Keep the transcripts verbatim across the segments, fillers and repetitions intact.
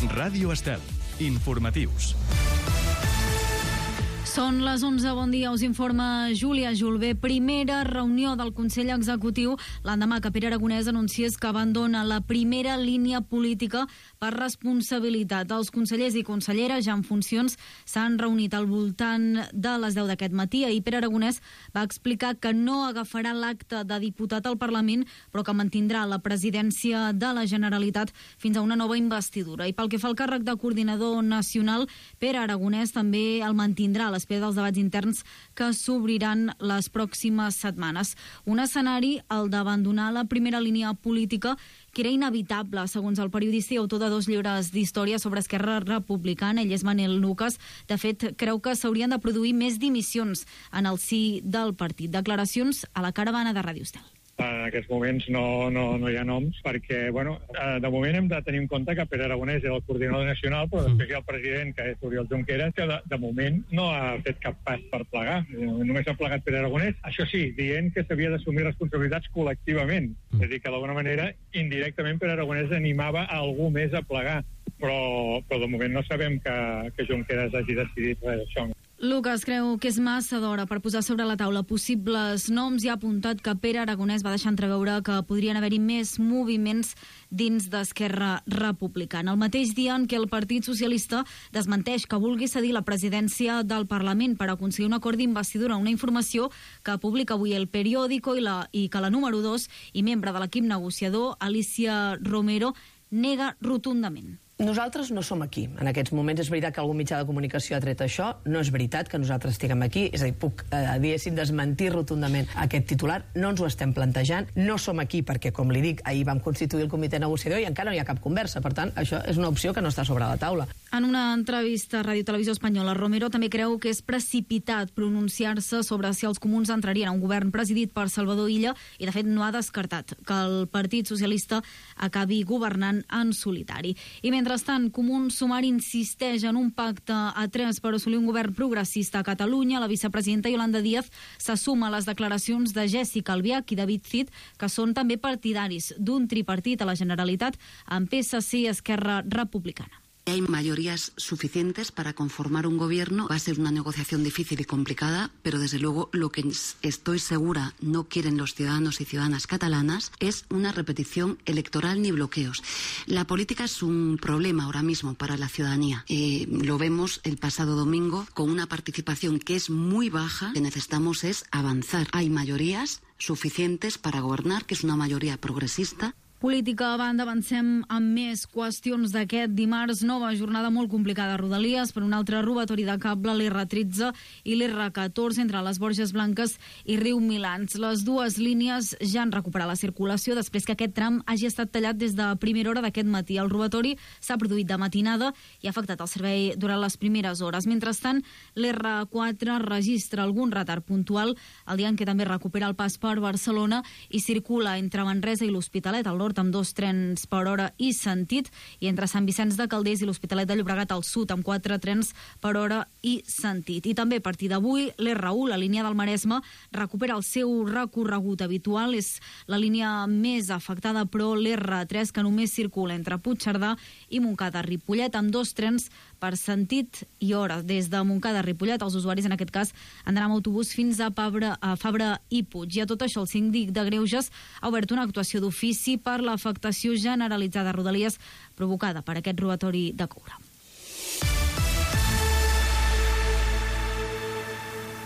Ràdio Estel. Informatius. Són les onze, bon dia, us informa Júlia Julbé. Primera reunió del Consell Executiu l'endemà que Pere Aragonès anunciés que abandona la primera línia política per responsabilitat. Els consellers i conselleres ja en funcions s'han reunit al voltant de les deu d'aquest matí. Ahir Pere Aragonès va explicar que no agafarà l'acte de diputat al Parlament, però que mantindrà la presidència de la Generalitat fins a una nova investidura. I pel que fa al càrrec de coordinador nacional, Pere Aragonès també el mantindrà a l'espera dels debats interns que s'obriran les pròximes setmanes. Un escenari, el d'abandonar la primera línia política, que era inevitable, segons el periodista i autor de dos llibres d'història sobre Esquerra Republicana. Ell és Manel Lucas. De fet, creu que s'haurien de produir més dimissions en el si del partit. Declaracions a la caravana de Ràdio Estel. En aquests moments no, no, no hi ha noms perquè, bueno, de moment hem de tenir en compte que Pere Aragonès era el coordinador nacional, però després hi ha el president, que és Oriol Junqueras, que de, de moment no ha fet cap pas per plegar. Només ha plegat Pere Aragonès, això sí, dient que s'havia d'assumir responsabilitats col·lectivament. És a dir, que d'alguna manera, indirectament, Pere Aragonès animava a algú més a plegar. Però, però de moment no sabem que, que Junqueras hagi decidit res d'això. Lucas creu que és massa d'hora per posar sobre la taula possibles noms i ha apuntat que Pere Aragonès va deixar entreveure que podrien haver-hi més moviments dins d'Esquerra Republicana. El mateix dia en què el Partit Socialista desmenteix que vulgui cedir la presidència del Parlament per aconseguir un acord d'investidura, una informació que publica avui el Periódico i, la, i que la número dos i membre de l'equip negociador, Alicia Romero, nega rotundament. Nosaltres no som aquí. En aquests moments és veritat que algun mitjà de comunicació ha tret això. No és veritat que nosaltres estiguem aquí. És a dir, puc, eh, diguéssim, desmentir rotundament aquest titular. No ens ho estem plantejant. No som aquí perquè, com li dic, ahir vam constituir el comitè negociador i encara no hi ha cap conversa. Per tant, això és una opció que no està sobre la taula. En una entrevista a Ràdio Televisió Espanyola, Romero també creu que és precipitat pronunciar-se sobre si els comuns entrarien a un govern presidit per Salvador Illa i, de fet, no ha descartat que el Partit Socialista acabi governant en solitari. I mentre Mentrestant, Comuns Sumar insisteix en un pacte a tres per assolir un govern progressista a Catalunya. La vicepresidenta Yolanda Díaz s'assuma a les declaracions de Jessica Albiach i David Cid, que són també partidaris d'un tripartit a la Generalitat amb P S C i Esquerra Republicana. Hay mayorías suficientes para conformar un gobierno. Va a ser una negociación difícil y complicada, pero desde luego lo que estoy segura no quieren los ciudadanos y ciudadanas catalanas es una repetición electoral ni bloqueos. La política es un problema ahora mismo para la ciudadanía. Eh, lo vemos el pasado domingo con una participación que es muy baja. Lo que necesitamos es avanzar. Hay mayorías suficientes para gobernar, que es una mayoría progresista. Política a banda, avancem amb més qüestions d'aquest dimarts. Nova jornada molt complicada a Rodalies per un altre robatori de cable, l'R tretze i l'R catorze entre les Borges Blanques i Riu Milans. Les dues línies ja han recuperat la circulació després que aquest tram hagi estat tallat des de primera hora d'aquest matí. El robatori s'ha produït de matinada i ha afectat el servei durant les primeres hores. Mentrestant, l'R quatre registra algun retard puntual el dia en què també recupera el pas per Barcelona i circula entre Manresa i l'Hospitalet al nord amb dos trens per hora i sentit, i entre Sant Vicenç de Calders i l'Hospitalet de Llobregat al sud amb quatre trens per hora i sentit. I també a partir d'avui l'R u, la línia del Maresme, recupera el seu recorregut habitual. És la línia més afectada, però l'R tres, que només circula entre Puigcerdà i Montcada-Ripollet amb dos trens per sentit i hora. Des de Montcada-Ripollet, els usuaris en aquest cas han d'anar amb autobús fins a Fabra, a Fabra i Puig. I a tot això el síndic de Greuges ha obert una actuació d'ofici per l'afectació generalitzada a Rodalies provocada per aquest robatori de coure.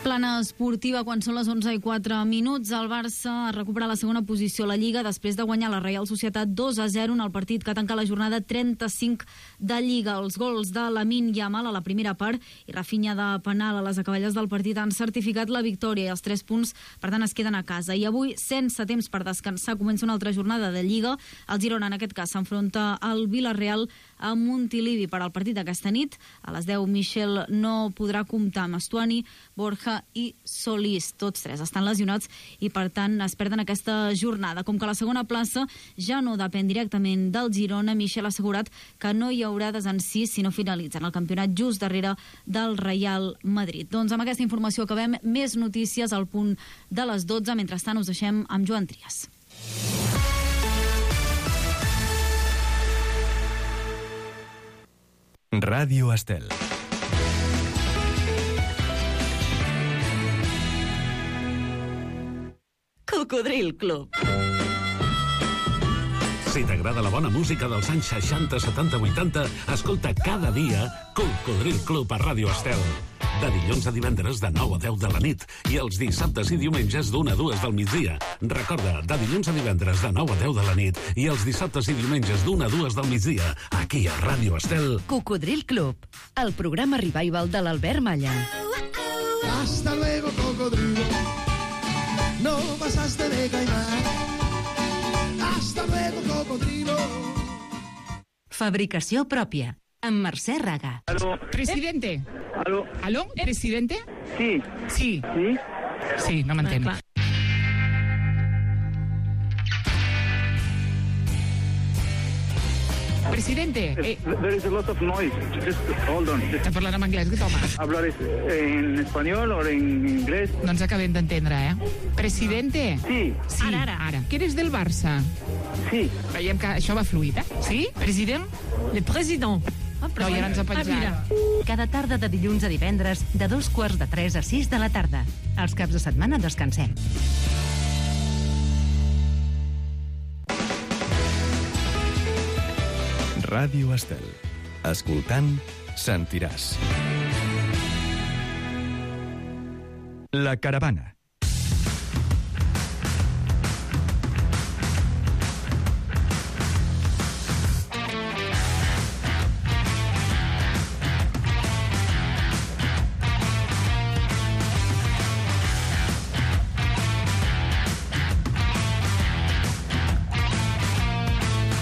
Plana esportiva quan són les onze i quatre minuts. El Barça recupera la segona posició a la Lliga després de guanyar la Reial Societat dos a zero en el partit que tanca la jornada trenta-cinc de Lliga. Els gols de Lamine Yamal a la primera part i Rafinha de penal a les acaballes del partit han certificat la victòria i els tres punts, per tant, es queden a casa. I avui, sense temps per descansar, comença una altra jornada de Lliga. El Girona, en aquest cas, s'enfronta al Villarreal a Montilivi per al partit d'aquesta nit. A les deu, Michel no podrà comptar amb Estuani, Borja i Solís. Tots tres estan lesionats i, per tant, es perden aquesta jornada. Com que la segona plaça ja no depèn directament del Girona, Michel ha assegurat que no hi haurà desencís si no finalitzen el campionat just darrere del Real Madrid. Doncs amb aquesta informació acabem. Més notícies al punt de les dotze. Mentrestant, us deixem amb Joan Trias. Ràdio Estel. Cocodril Club. Si t'agrada la bona música dels anys seixanta, setanta, vuitanta, escolta cada dia Cocodril Club a Ràdio Estel. De dilluns a divendres de nou a deu de la nit i els dissabtes i diumenges d'una a dues del migdia. Recorda, de dilluns a divendres de nou a deu de la nit i els dissabtes i diumenges d'una a dues del migdia, aquí a Ràdio Estel. Cocodril Club, el programa revival de l'Albert Malla. Hasta luego, cocodrilo. No pasaste de caimán. Hasta luego, cocodrilo. Fabricació pròpia, amb Mercè Raga. Aló. Presidente. Aló. ¿Aló? ¿Presidente? Sí. Sí. Sí? Sí, no m'entén. Ah, Presidente, eh, There is a lot of noise. Just hold on. està parlant en anglès, que toma. ¿Hablar es- en español o en inglés? No ens acabem d'entendre, eh? Presidente. Sí, Sí, Ara, ara. ara. Que eres del Barça? sí. Veiem que això va fluid, eh? Sí? President? Le président. Ah, No, ja no ens ha penjat. Cada tarda de dilluns a divendres, de dos quarts de tres a sis de la tarda. Els caps de setmana descansem. Ràdio Estel. Escoltant, sentiràs. La caravana.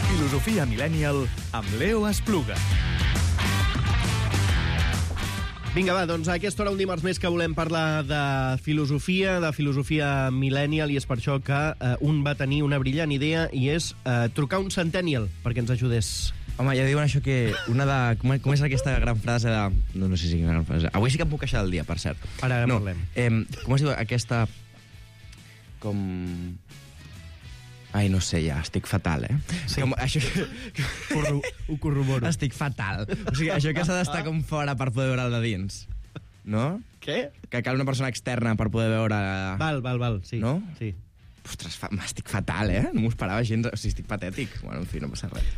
Filosofia Millennial amb Leo Espluga. Vinga, va, doncs a aquesta hora un dimarts més que volem parlar de filosofia, de filosofia millennial, i és per això que eh, un va tenir una brillant idea, i és eh, trucar un centennial perquè ens ajudés. Home, ja diuen això que una de... Com, com és aquesta gran frase de... No, no sé si és una gran frase. Avui sí que em puc queixar del dia, per cert. Ara, ara no, parlem. Eh, com es diu aquesta... Com... Ai, no sé, ja, estic fatal, eh? Sí. Com, això... Corro, ho corroboro. Estic fatal. O sigui, això que s'ha d'estar com fora per poder veure el de dins. No? Què? Que cal una persona externa per poder veure... Val, val, val, sí. No? Sí. Ostres, fa... estic fatal, eh? No m'ho esperava gens. O sigui, estic patètic. Bueno, en fi, no passa res.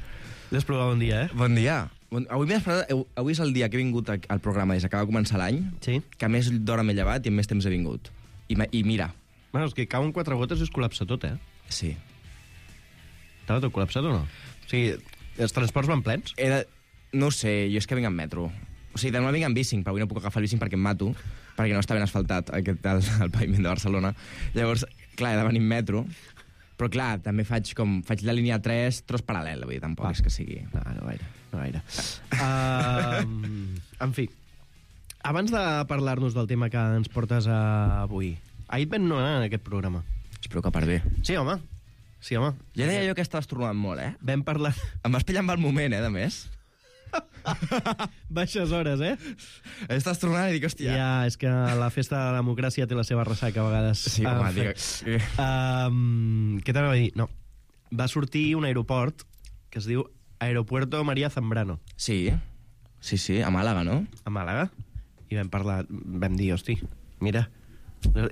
L'Espluga, bon dia, eh? Bon dia. Bon... Avui, m'he esperat... Avui és el dia que he vingut al programa des que acaba de començar l'any, Sí. que més d'hora m'he llevat i amb més temps he vingut. I, I mira, Bueno, és que cauen quatre gotes i es col·lapsa tot, eh? sí. Estava tot col·lapsat o no? O sigui, els transports van plens? Era... No ho sé, jo és que vinc en metro. O sigui, demà vinc en bicing, però avui no puc agafar el bicing perquè em mato, perquè no està ben asfaltat aquest, el, el paviment de Barcelona. Llavors, clar, he de venir en metro, però clar, també faig com... Faig la línia tres, tros paral·lel, vull dir, tampoc Va. és que sigui... No, no gaire, no gaire. Uh, en fi, abans de parlar-nos del tema que ens portes avui, ahir et vam nomenar en aquest programa. Espero que per bé. Sí, home. Sí, home. Ja deia jo que estaves tornant molt, eh? Vam parlar... Em vas pillar amb el moment, eh, de més. Baixes hores, eh? Estàs tornant i dic, hòstia... Ja, és que la festa de la democràcia té la seva ressaca a vegades. Sí, home, En digue... fi. Um, què t'anava a dir? No. Va sortir un aeroport que es diu Aeropuerto María Zambrano, Sí, sí, sí, a Màlaga, no? a Màlaga. I vam parlar... Vam dir, hosti, mira...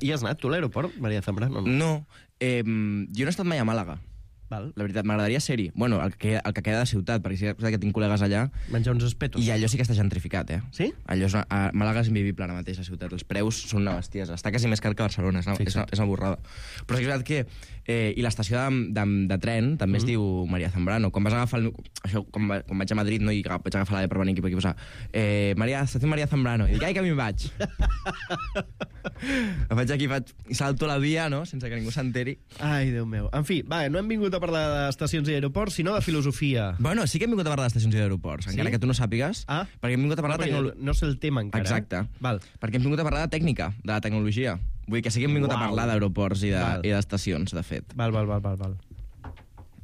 Hi has anat tu a l'aeroport, María Zambrano? No. No, eh, jo no he estat mai a Màlaga. Val. La veritat, m'agradaria ser-hi. Bueno, el que, el que queda de ciutat, perquè sí que tinc col·legues allà. Menjar uns espetos. I allò sí que està gentrificat, eh? Sí? Allò és una, a Màlaga és invivible ara mateix, la ciutat. Els preus són una bestiesa. Està quasi més car que Barcelona, és una, és una, és una borrada. Però sí que és veritat que... Eh, I l'estació de, de, de tren també es Mm. diu María Zambrano. Quan vas agafar el, això, quan, va, quan vaig a Madrid, no, i vaig agafar la de per venir aquí, per aquí posar eh, María, estació María Zambrano. I dic, ai, que a mi vaig. Em vaig aquí, faig, i salto la via, no?, sense que ningú s'enteri. Ai, Déu meu. En fi, va, no hem vingut a parlar d'estacions i aeroports, sinó de filosofia. Bueno, sí que hem vingut a parlar d'estacions i d'aeroports, Sí? encara que tu no sàpigues, Ah. perquè hem vingut a parlar No, de perquè tecnologia. no sé el tema encara. Exacte. Eh? Val. Perquè hem vingut a parlar de tècnica, de la tecnologia. Vull dir que sí que hem vingut Uau. a parlar d'aeroports i de- Val. i d'estacions, de fet. Val, val, val, val, val.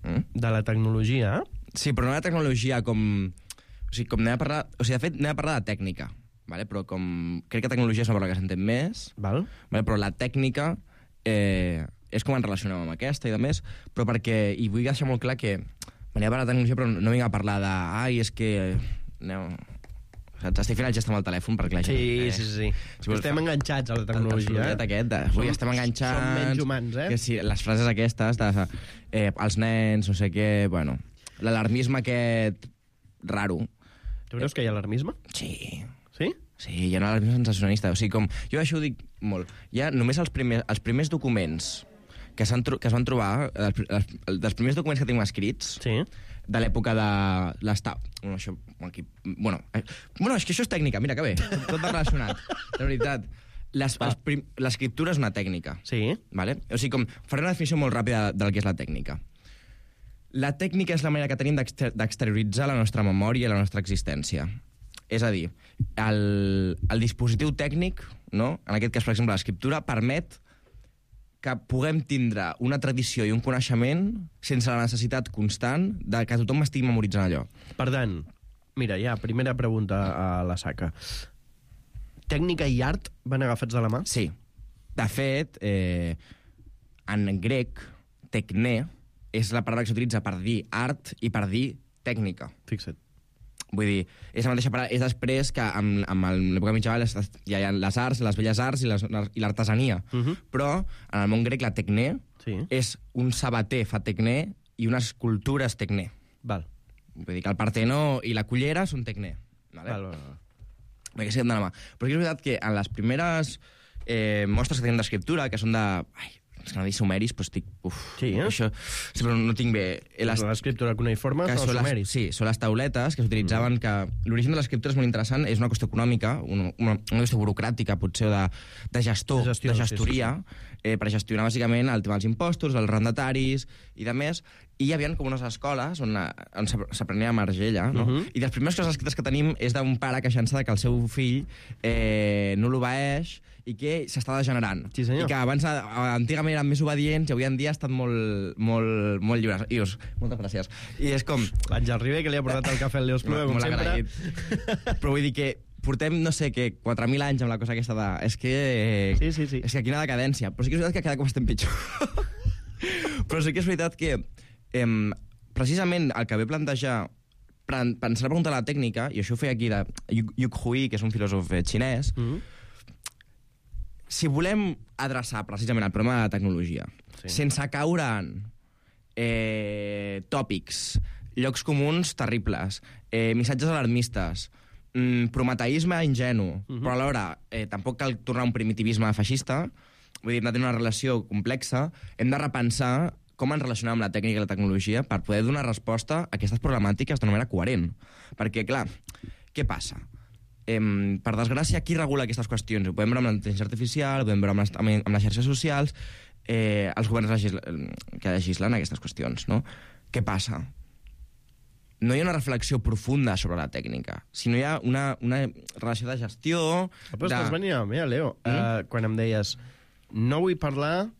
Mm? De la tecnologia, eh? Sí, però no de tecnologia com... O sigui, com anem a parlar... O sigui, de fet, anem a parlar de tècnica, vale? Però com... Crec que tecnologia és una paraula que s'entén més, Val. vale? Però la tècnica eh, és com ens relacionem amb aquesta i de més, però perquè... I vull deixar molt clar que venia a parlar de tecnologia, però no vinc a parlar de... Ai, és que... Aneu... Saps? Estic fent el gest amb el telèfon perquè la gent... Sí, sí, sí. Si estem fa... enganxats a la tecnologia. El aquest, de, avui estem enganxats... Som menys humans, eh? Que sí, les frases aquestes, de, eh, els nens, no sé què... Bueno, l'alarmisme aquest raro. Tu creus que hi ha alarmisme? Sí. Sí? Sí, hi ha un alarmisme sensacionalista. O sigui, com... Jo això ho dic molt. Hi ha només els primers, els primers documents que, que es van trobar, els, els, dels primers documents que tenim escrits... Sí. De l'època de l'estat... Bueno, això... Aquí, bueno, eh, bueno, és que això és tècnica, mira, que bé. Tot va relacionat. De veritat. L'escriptura és una tècnica. Sí. Vale? O sigui, com, faré una definició molt ràpida del que és la tècnica. La tècnica és la manera que tenim d'exterioritzar la nostra memòria i la nostra existència. És a dir, el, el dispositiu tècnic, no? En aquest cas, per exemple, l'escriptura, permet que puguem tindre una tradició i un coneixement sense la necessitat constant de que tothom estigui memoritzant allò. Per tant, mira, ja, primera pregunta a la saca. Tècnica i art van agafats de la mà? Sí. De fet, eh, en grec, tecné és la paraula que s'utilitza per dir art i per dir tècnica. Fixa't. Vull dir, és la mateixa paraula, és després que amb, amb l'època mitjana hi ha les arts, les belles arts i l'artesania. Uh -huh. Però en el món grec la tecné sí. és un sabater fa tecné i una escultura és tecné. Val. Vull dir que el Partenó i la cullera són tecné. Vale? Val, val, val. Perquè sí, de la mà. Però és veritat que en les primeres eh, mostres que tenim d'escriptura, que són de... Ai, és que no dic sumeris, però estic... Uf, sí, eh? Això, sí, però no tinc bé... Les... L'escriptura cuneiforme són els sumeris. Sí, són les tauletes que s'utilitzaven, mm. que l'origen de l'escriptura és molt interessant, és una qüestió econòmica, una, una, una qüestió burocràtica, potser, de, de gestor, de, gestió, de gestoria, sí, sí. Eh, per gestionar, bàsicament, el tema dels impostos, els arrendataris i de més, i hi havia com unes escoles on, on s'aprenia a Margella, no? Uh -huh. I les primeres coses escrites que tenim és d'un pare queixant-se que el seu fill eh, no l'obeeix i que s'està degenerant. Sí, senyor. I que abans, antigament, eren més obedients i avui en dia ha estat molt, molt, molt lliures. Ius, moltes gràcies. I és com... L'Àngel Ribé, que li ha portat el cafè al Leos Plue, com sempre. Agraït. Però vull dir que portem, no sé què, quatre mil anys amb la cosa aquesta de... És que... Sí, sí, sí. És que quina decadència. Però sí que és veritat que cada cop estem pitjor. Però sí que és veritat que... Eh, precisament el que ve plantejar pensar la pregunta de la tècnica, i això ho feia aquí de Yuk Hui, que és un filòsof xinès, mm-hmm. si volem adreçar precisament el problema de la tecnologia, sí. sense caure en eh, tòpics, llocs comuns terribles, eh, missatges alarmistes, mm, prometeisme ingenu, mm-hmm. però alhora eh, tampoc cal tornar a un primitivisme feixista, vull dir, hem de tenir una relació complexa, hem de repensar com ens relacionem amb la tècnica i la tecnologia per poder donar resposta a aquestes problemàtiques d'una manera coherent. Perquè, clar, què passa? Eh, per desgràcia, qui regula aquestes qüestions? Ho podem veure amb la intel·ligència artificial, ho podem veure amb les, amb les xarxes socials, eh, els governs legisla que legislen aquestes qüestions, no? Què passa? No hi ha una reflexió profunda sobre la tècnica, sinó hi ha una, una relació de gestió... Però estàs venint a mi, Leo, mm? uh, quan em deies no vull parlar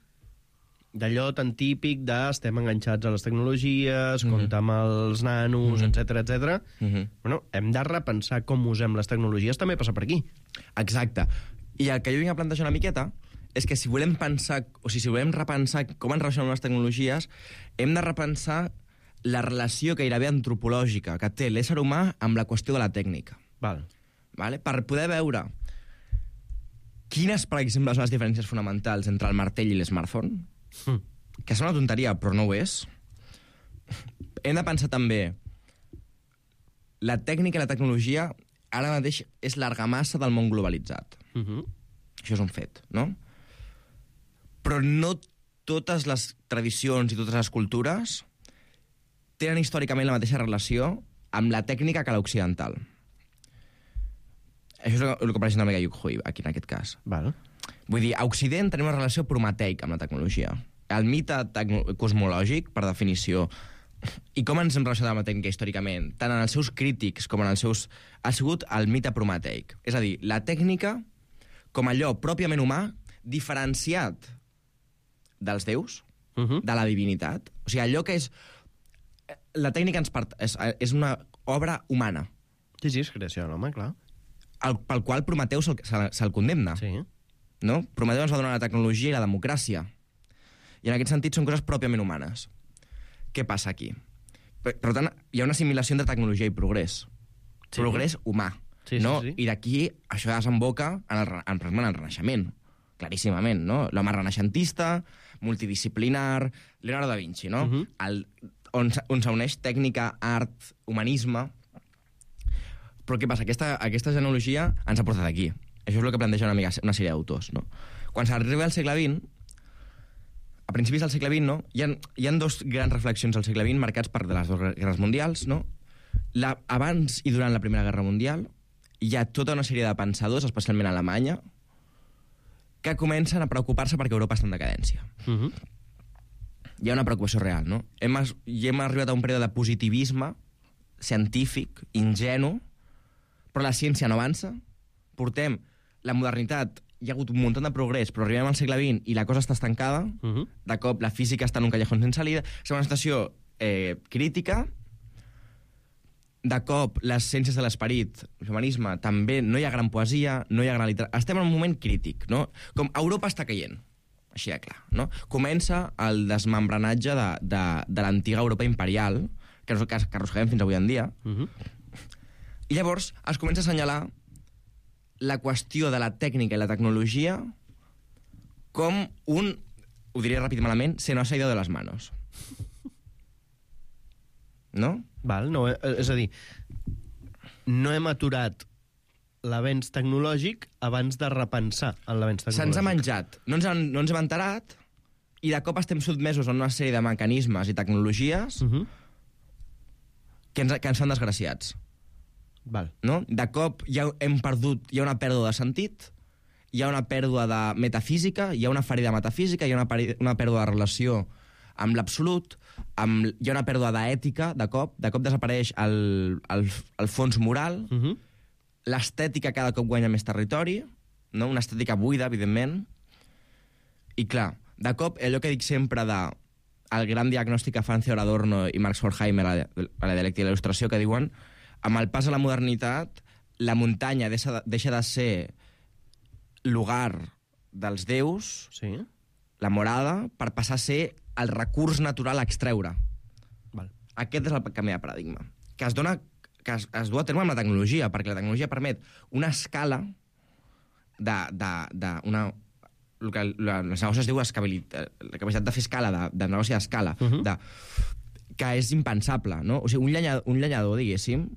d'allò tan típic de estem enganxats a les tecnologies, mm-hmm. comptar amb els nanos, mm-hmm. etcètera, etcètera. Mm-hmm. Bueno, hem de repensar com usem les tecnologies, també passa per aquí. Exacte. I el que jo vinc a plantejar una miqueta és que si volem pensar, o sigui, si volem repensar com ens relacionem les tecnologies, hem de repensar la relació gairebé antropològica que té l'ésser humà amb la qüestió de la tècnica. Val. Vale? Per poder veure quines, per exemple, són les diferències fonamentals entre el martell i l'smartphone, Mm. que sembla una tonteria, però no ho és. Hem de pensar també la tècnica i la tecnologia ara mateix és l'argamassa del món globalitzat. Mm-hmm. Això és un fet, no? Però no totes les tradicions i totes les cultures tenen històricament la mateixa relació amb la tècnica que l'occidental. Això és el que presenta Mega Yuk Hui, aquí en aquest cas. Val. Vull dir, a Occident tenim una relació prometeica amb la tecnologia. El mite cosmològic, per definició, i com ens hem relacionat amb la tècnica històricament, tant en els seus crítics com en els seus... ha sigut el mite prometeic. És a dir, la tècnica com allò pròpiament humà, diferenciat dels déus, uh-huh. de la divinitat. O sigui, allò que és... La tècnica ens part... és, és una obra humana. Sí, sí, és creació de l'home, clar. El, pel qual Prometeu se'l se, se condemna. Sí. No? Prometeu ens va donar la tecnologia i la democràcia. I en aquest sentit són coses pròpiament humanes. Què passa aquí? Per, per tant, hi ha una assimilació entre tecnologia i progrés. Sí. Progrés humà. Sí, no? sí, sí. I d'aquí això desemboca en el, re- en, en el Renaixement, claríssimament, no? L'home renaixentista, multidisciplinar, Leonardo da Vinci, no? Mhm. el, on, s- on s'uneix tècnica, art, humanisme. Però què passa? Aquesta, aquesta genealogia ens ha portat aquí. Això és el que planteja una, mica, una sèrie d'autors, no? Quan s'arriba al segle vint, a principis del segle vint, no? Hi ha, hi ha dos grans reflexions al segle vint marcats per les dues guerres mundials, no? La, abans i durant la Primera Guerra Mundial hi ha tota una sèrie de pensadors, especialment a Alemanya, que comencen a preocupar-se perquè Europa està en decadència. Mhm. Hi ha una preocupació real, no? Hem, es- i hem arribat a un període de positivisme científic, ingenu, però la ciència no avança. Portem la modernitat, hi ha hagut un munt de progrés, però arribem al segle vint i la cosa està estancada. Mhm. De cop, la física està en un callejón sense salida. És una situació eh, crítica. De cop, les ciències de l'esperit, l'humanisme, també no hi ha gran poesia, no hi ha gran literatura. Estem en un moment crític, no? Com Europa està caient, així de clar, no? Comença el desmembranatge de, de, de l'antiga Europa imperial, que, que, que arrosseguem fins avui en dia, Mhm. i llavors es comença a assenyalar la qüestió de la tècnica i la tecnologia com un, ho diré ràpid i malament, se nos ha ido de les manos. No? Val, no, eh, és a dir, no hem aturat l'avenç tecnològic abans de repensar en l'avenç tecnològic. Se'ns ha menjat, no ens, han, no ens hem enterat, i de cop estem sotmesos a una sèrie de mecanismes i tecnologies Mhm. que, ens, que ens fan desgraciats. Val. No? De cop ja hem perdut, hi ha una pèrdua de sentit, hi ha una pèrdua de metafísica, hi ha una ferida metafísica, hi ha una, peri- una pèrdua de relació amb l'absolut, amb, hi ha una pèrdua d'ètica, de cop, de cop desapareix el, el, el fons moral, Mhm. l'estètica cada cop guanya més territori, no? Una estètica buida, evidentment, i clar, de cop, allò que dic sempre de el gran diagnòstic que fan Theodor Adorno i Max Horkheimer a la, a la dialèctica de la il·lustració, que diuen amb el pas a la modernitat, la muntanya deixa de, deixa de ser lugar dels déus, sí. la morada, per passar a ser el recurs natural a extreure. Val. Aquest és el canvi de paradigma, que es dona que es, es du a terme amb la tecnologia, perquè la tecnologia permet una escala de, de, de una, el que la, els negocis es diu escabilitat, la capacitat de fer escala, de, de negoci d'escala, uh -huh. de, que és impensable, no? O sigui, un llenyador, un llenyador diguéssim,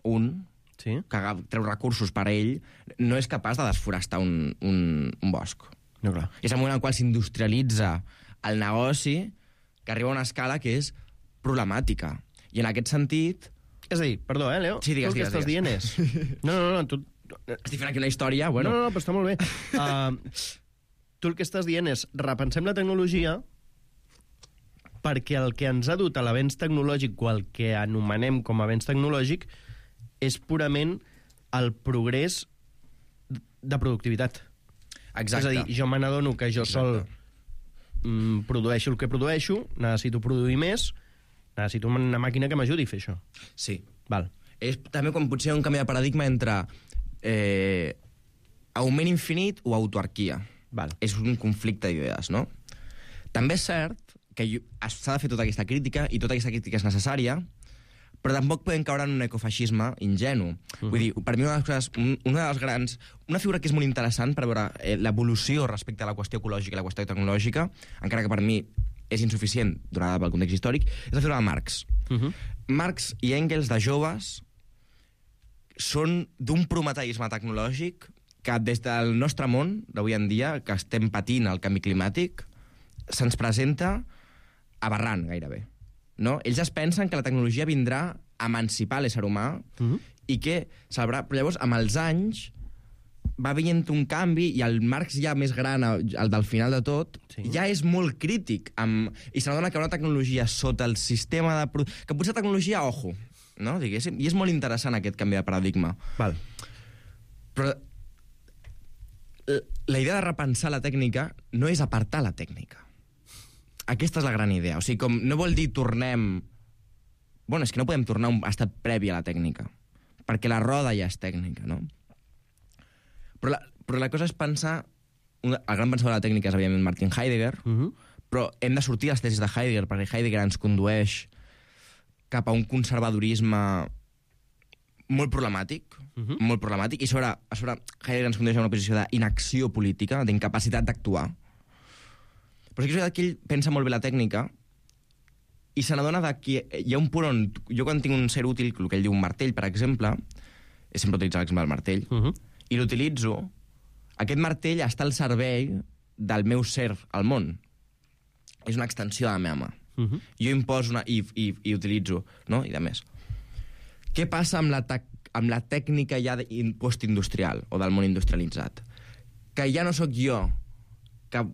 un, sí. que treu recursos per a ell, no és capaç de desforestar un, un, un bosc. No, clar. És el moment en el qual s'industrialitza el negoci, que arriba a una escala que és problemàtica. I en aquest sentit... És a dir, perdó, eh, Leo? Sí, digues, tu el que digues, estàs dient és... No, no, no, tu... Estic fent aquí una història, bueno... No, no, no, però està molt bé. Uh, tu el que estàs dient és repensem la tecnologia perquè el que ens ha dut a l'avenç tecnològic o el que anomenem com a avenç tecnològic és purament el progrés de productivitat. Exacte. És a dir, jo me n'adono que jo sol mm, produeixo el que produeixo, necessito produir més, necessito una màquina que m'ajudi a fer això. Sí. Val. És també com potser un canvi de paradigma entre eh, augment infinit o autarquia. Val. És un conflicte d'idees, no? També és cert que jo- s'ha de fer tota aquesta crítica, i tota aquesta crítica és necessària, però tampoc podem caure en un ecofeixisme ingenu. Uh-huh. Vull dir, per mi una de les coses, un- una de les grans... Una figura que és molt interessant per veure eh, l'evolució respecte a la qüestió ecològica i la qüestió tecnològica, encara que per mi és insuficient donada pel context històric, és la figura de Marx. Uh-huh. Marx i Engels, de joves, són d'un prometeisme tecnològic que des del nostre món, d'avui en dia, que estem patint el canvi climàtic, se'ns presenta aberrant, gairebé. No? Ells es pensen que la tecnologia vindrà a emancipar l'ésser humà uh-huh. i que salvarà... Però llavors, amb els anys, va veient un canvi i el Marx ja més gran, el del final de tot, sí. ja és molt crític amb, i se n'adona que una tecnologia sota el sistema de... Pro... que potser tecnologia, ojo, no? Diguéssim, i és molt interessant aquest canvi de paradigma. Val. Però la idea de repensar la tècnica no és apartar la tècnica. Aquesta és la gran idea. O sigui, com no vol dir tornem... Bueno, és que no podem tornar a un estat previ a la tècnica, perquè la roda ja és tècnica, no? Però la, però la cosa és pensar... El gran pensador de la tècnica és, evidentment, Martin Heidegger, uh-huh. però hem de sortir a les tesis de Heidegger, perquè Heidegger ens condueix cap a un conservadorisme molt problemàtic, uh -huh. molt problemàtic, i sobre, a sobre Heidegger ens condueix a una posició d'inacció política, d'incapacitat d'actuar. Però sí que és veritat que ell pensa molt bé la tècnica i se n'adona que hi ha un punt on... Jo quan tinc un ser útil, el que ell diu un martell, per exemple, he sempre utilitzat l'exemple del martell, uh -huh. i l'utilitzo, aquest martell està al servei del meu ser al món. És una extensió de la meva mà. Uh -huh. Jo imposo una, i, i, i utilitzo, no? I de més. Què passa amb la, amb la tècnica ja postindustrial o del món industrialitzat? Que ja no sóc jo que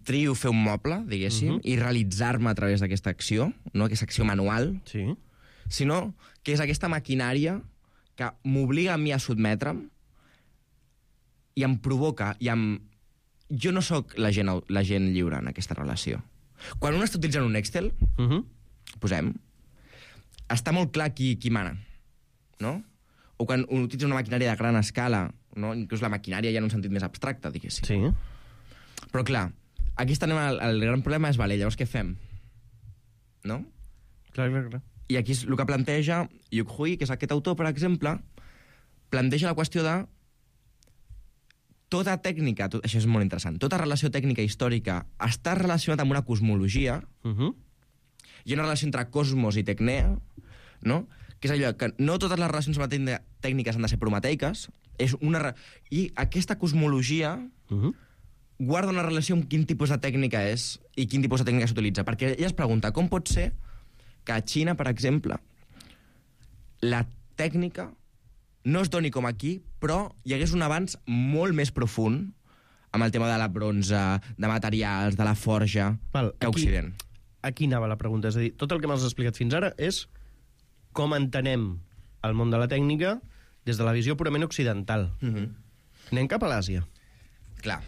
trio fer un moble, diguéssim, uh -huh. i realitzar-me a través d'aquesta acció, no aquesta acció manual, sí. sinó que és aquesta maquinària que m'obliga a mi a sotmetre'm i em provoca, i em... Jo no sóc la gent, la gent lliure en aquesta relació. Quan un està utilitzant un Excel, uh -huh. posem, està molt clar qui, qui mana, no? O quan un utilitza una maquinària de gran escala, no? Inclús la maquinària ja en un sentit més abstracte, diguéssim. Sí. Però clar, aquí estem el, el gran problema és, vale, llavors què fem? No? Clar, clar, clar. I aquí és el que planteja Yuk Hui, que és aquest autor, per exemple, planteja la qüestió de tota tècnica, tot, això és molt interessant, tota relació tècnica històrica està relacionada amb una cosmologia, uh -huh. i una relació entre cosmos i tecnea, no? Que és allò que no totes les relacions tècniques han de ser prometeiques, és una... i aquesta cosmologia uh -huh. guarda una relació amb quin tipus de tècnica és i quin tipus de tècnica s'utilitza. Perquè ella es pregunta, com pot ser que a Xina, per exemple, la tècnica no es doni com aquí, però hi hagués un avanç molt més profund amb el tema de la bronze, de materials, de la forja, Val, que a Occident. Aquí anava la pregunta. És a dir, tot el que m'has explicat fins ara és com entenem el món de la tècnica des de la visió purament occidental. Uh -huh. Anem cap a l'Àsia. Clar.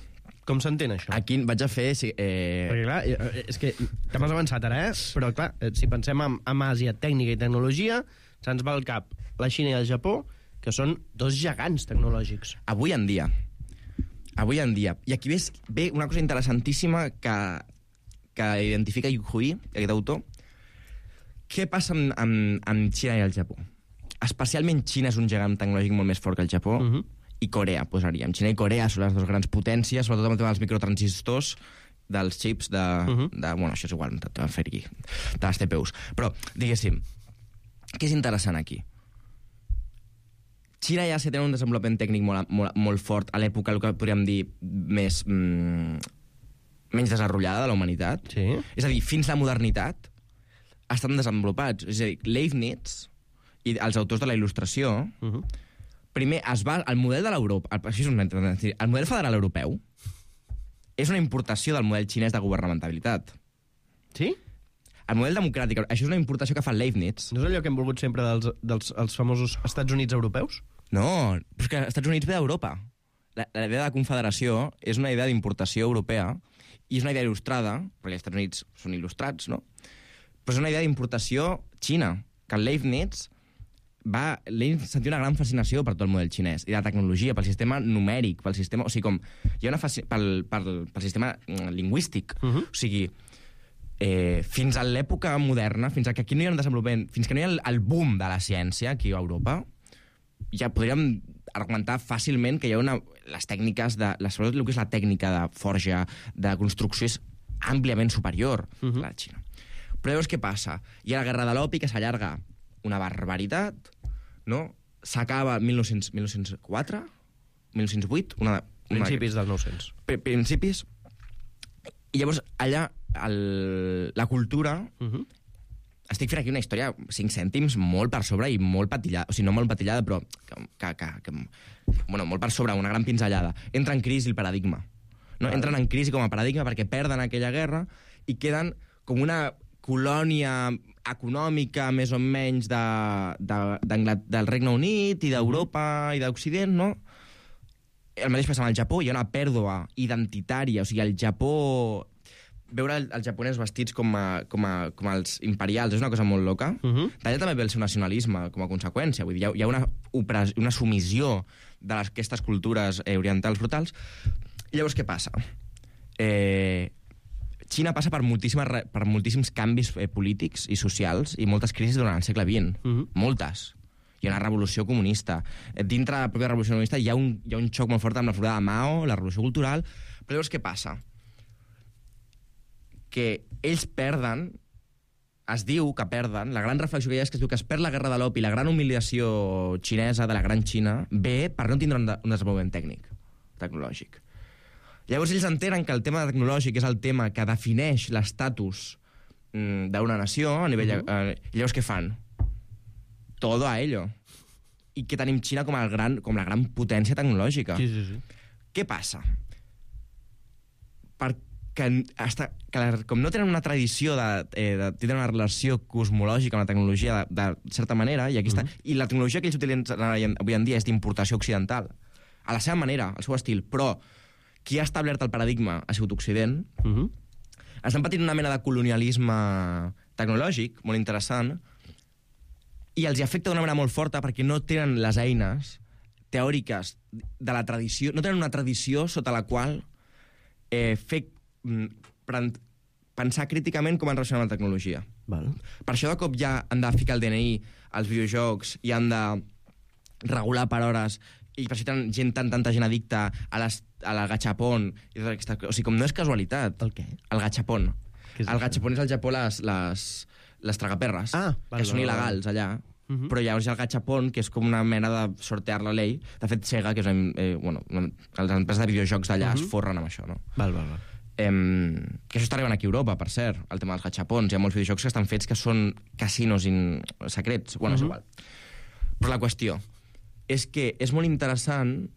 Com s'entén això? Aquí vaig a fer... Sí, eh... Perquè, clar, és que te m'has avançat ara, eh? Però, clar, si pensem en, en Àsia, tècnica i tecnologia, se'ns va al cap la Xina i el Japó, que són dos gegants tecnològics. Avui en dia. Avui en dia. I aquí ves, ve una cosa interessantíssima que, que identifica Yuk Hui, aquest autor. Què passa amb, amb, amb Xina i el Japó? Especialment Xina és un gegant tecnològic molt més fort que el Japó, uh -huh. i Corea, posaríem. Xina i Corea són les dues grans potències, sobretot amb el tema dels microtransistors, dels xips de... Uh -huh. de bueno, això és igual, de fer-hi, de les T P Us. Però, diguéssim, què és interessant aquí? Xina ja se té un desenvolupament tècnic molt, molt, molt fort a l'època, el que podríem dir, més... Mm, menys desenvolupada de la humanitat. Sí. És a dir, fins la modernitat estan desenvolupats. És a dir, Leibniz i els autors de la il·lustració... Uh -huh. Primer, es va, el model de l'Europa... El, el model federal europeu és una importació del model xinès de governamentalitat. Sí? El model democràtic, això és una importació que fa Leibniz. No és allò que hem volgut sempre dels, dels els famosos Estats Units europeus? No, però és que els Estats Units ve d'Europa. La, la idea de confederació és una idea d'importació europea i és una idea il·lustrada, perquè els Estats Units són il·lustrats, no? Però és una idea d'importació xina, que Leibniz... va sentir una gran fascinació per tot el model xinès i de la tecnologia, pel sistema numèric, pel sistema... O sigui, com... Hi ha una fasc... pel, pel, pel sistema lingüístic. Uh -huh. O sigui, eh, fins a l'època moderna, fins a que aquí no hi ha un desenvolupament, fins que no hi ha el, el boom de la ciència aquí a Europa, ja podríem argumentar fàcilment que hi ha una... Les tècniques de... La, sobretot el que és la tècnica de forja, de construcció, és àmpliament superior uh -huh. a la Xina. Però llavors què passa? Hi ha la guerra de l'opi que s'allarga una barbaritat, no? S'acaba mil nou-cents quatre, mil nou-cents vuit... Una, una... Principis del nou-cents. Principis. I llavors, allà, el, la cultura... Uh -huh. Estic fent aquí una història, cinc cèntims, molt per sobre i molt patillada. O sigui, no molt patillada, però... Que, que, que, bueno, molt per sobre, una gran pinzellada. Entra en crisi el paradigma. No? Entren en crisi com a paradigma perquè perden aquella guerra i queden com una colònia econòmica, més o menys, de, de, del Regne Unit i d'Europa i d'Occident, no? El mateix passa amb el Japó, hi ha una pèrdua identitària, o sigui, el Japó... Veure els japonesos vestits com, a, com, a, com els imperials és una cosa molt loca. Uh -huh. D'allà també ve el seu nacionalisme com a conseqüència. Vull dir, hi ha, hi ha una, una submissió d'aquestes cultures eh, orientals brutals. I llavors què passa? Eh... Xina passa per, per moltíssims canvis eh, polítics i socials i moltes crisis durant el segle vint. Uh -huh. Moltes. hi ha una revolució comunista. Dintre de la pròpia revolució comunista hi ha un, hi ha un xoc molt fort amb la figura de Mao, la revolució cultural, però llavors què passa? Que ells perden, es diu que perden, la gran reflexió que hi ha és que es diu que es perd la guerra de l'opi, la gran humiliació xinesa de la gran Xina, ve per no tindre un, de, un desenvolupament tècnic, tecnològic. Llavors ells entenen que el tema tecnològic és el tema que defineix l'estatus mm, d'una nació a nivell... Uh -huh. eh, llavors què fan? Todo a ello. I que tenim Xina com, el gran, com la gran potència tecnològica. Sí, sí, sí. Què passa? Perquè hasta, que la, com no tenen una tradició de, eh, de tindre una relació cosmològica amb la tecnologia de, de certa manera, i aquí està, uh -huh. i la tecnologia que ells utilitzen avui en dia és d'importació occidental, a la seva manera, al seu estil, però qui ha establert el paradigma ha sigut Occident, uh -huh. estan patint una mena de colonialisme tecnològic molt interessant, i els hi afecta d'una manera molt forta perquè no tenen les eines teòriques de la tradició, no tenen una tradició sota la qual eh, fer, pensar críticament com han relacionat amb la tecnologia. Val. Per això de cop ja han de ficar el D N I als videojocs i han de regular per hores, i per això tenen gent, tan, tanta gent addicta a, les, a la gachapon. I tot aquesta, o sigui, com no és casualitat. El què? El gachapon. Què és el això? gachapon és al Japó les, les, les tragaperres, ah, que són il·legals allà. Uh -huh. Però llavors hi ha el gachapon, que és com una mena de sortear la llei. De fet, Sega, que és una, eh, bueno, les empreses de videojocs d'allà uh -huh. es forren amb això, no? Val, val, val. Eh, que això està arribant aquí a Europa, per cert, el tema dels gachapons. Hi ha molts videojocs que estan fets que són casinos in... secrets. Bueno, uh -huh. és igual. Però la qüestió és que és molt interessant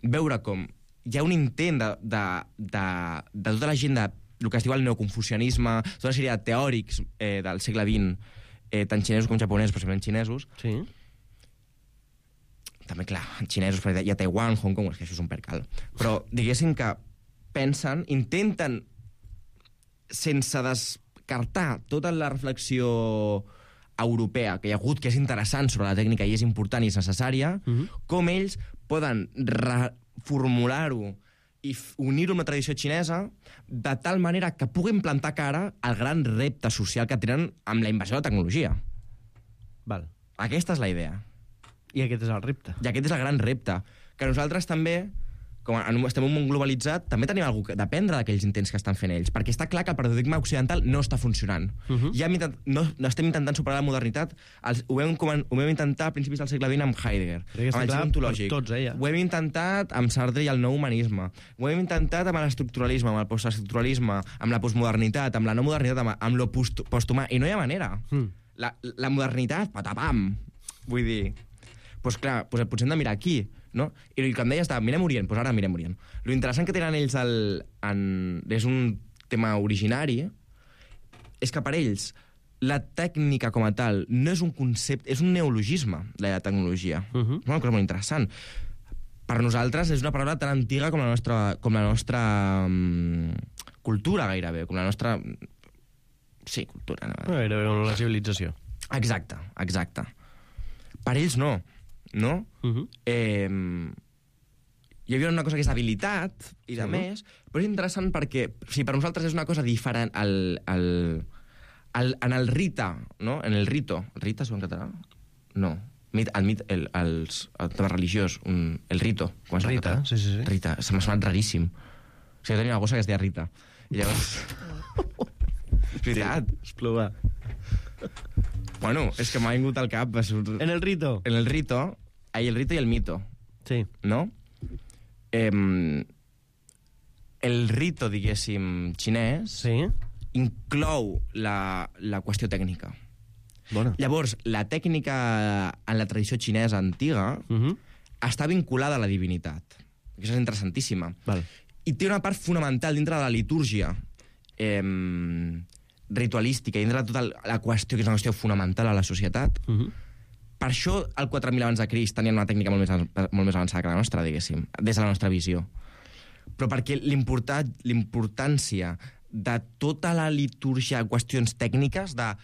veure com hi ha un intent de, de, de, de tota la gent de el que es diu el neoconfucianisme, tota una sèrie de teòrics eh, del segle vint, eh, tant xinesos com japonesos, però sempre xinesos. Sí. També, clar, xinesos, perquè hi ha Taiwan, Hong Kong, és que això és un percal. Però diguéssim que pensen, intenten, sense descartar tota la reflexió europea que hi ha hagut, que és interessant sobre la tècnica i és important i és necessària, uh -huh. com ells poden reformular-ho i unir-ho amb la tradició xinesa de tal manera que puguin plantar cara al gran repte social que tenen amb la invasió de la tecnologia. Val. Aquesta és la idea. I aquest és el repte. I aquest és el gran repte. Que nosaltres també, com estem en un món globalitzat, també tenim alguna cosa d'aprendre d'aquells intents que estan fent ells, perquè està clar que el paradigma occidental no està funcionant. Uh -huh. ja intent, no, no estem intentant superar la modernitat. Els, ho, vam, ho vam intentar a principis del segle vint amb Heidegger, amb el ontològic. Tots, eh, ja. Ho hem intentat amb Sartre i el nou humanisme. Ho hem intentat amb l'estructuralisme, amb el postestructuralisme, amb la postmodernitat, amb la no modernitat, amb, amb lo post, posthumà. I no hi ha manera. Mm. La, la modernitat, patapam. Vull dir... Doncs clar, doncs potser hem de mirar aquí, no? I el que em deies de mirem Orient, doncs ara mirem Orient. Lo interessant que tenen ells el, en, és un tema originari, és que per ells la tècnica com a tal no és un concepte, és un neologisme, la tecnologia. Uh -huh. És una cosa molt interessant. Per nosaltres és una paraula tan antiga com la nostra, com la nostra um, cultura, gairebé, com la nostra... Sí, cultura. No? Gairebé com la civilització. Exacte, exacte. Per ells no. No? Uh -huh. eh, hi havia una cosa que és habilitat i de uh -huh. més, però és interessant perquè si per nosaltres és una cosa diferent el, el, el, en el rita, no? En el rito. El rita es diu en català? No. Mit, el, mit, el, els, el tema religiós, un, el rito. Com Rita, sí, sí, sí. Rita, se m'ha sonat raríssim. O sigui, jo tenia una gossa que es deia Rita. I llavors... és veritat. És plovar. Bueno, és que m'ha vingut al cap... En el rito. En el rito. Ahí el rito y el mito. Sí. No? Eh, el rito, diguéssim, xinès, sí. inclou la, la qüestió tècnica. Bona. Llavors, la tècnica en la tradició xinesa antiga uh -huh. està vinculada a la divinitat. Això és interessantíssima. Val. I té una part fonamental dintre de la litúrgia eh, ritualística, dintre de tota la qüestió, que és una qüestió fonamental a la societat. Uh -huh. Per això, al quatre mil abans de Crist tenien una tècnica molt més, molt més avançada que la nostra, diguéssim, des de la nostra visió. Però perquè l'importància de tota la litúrgia, qüestions tècniques, de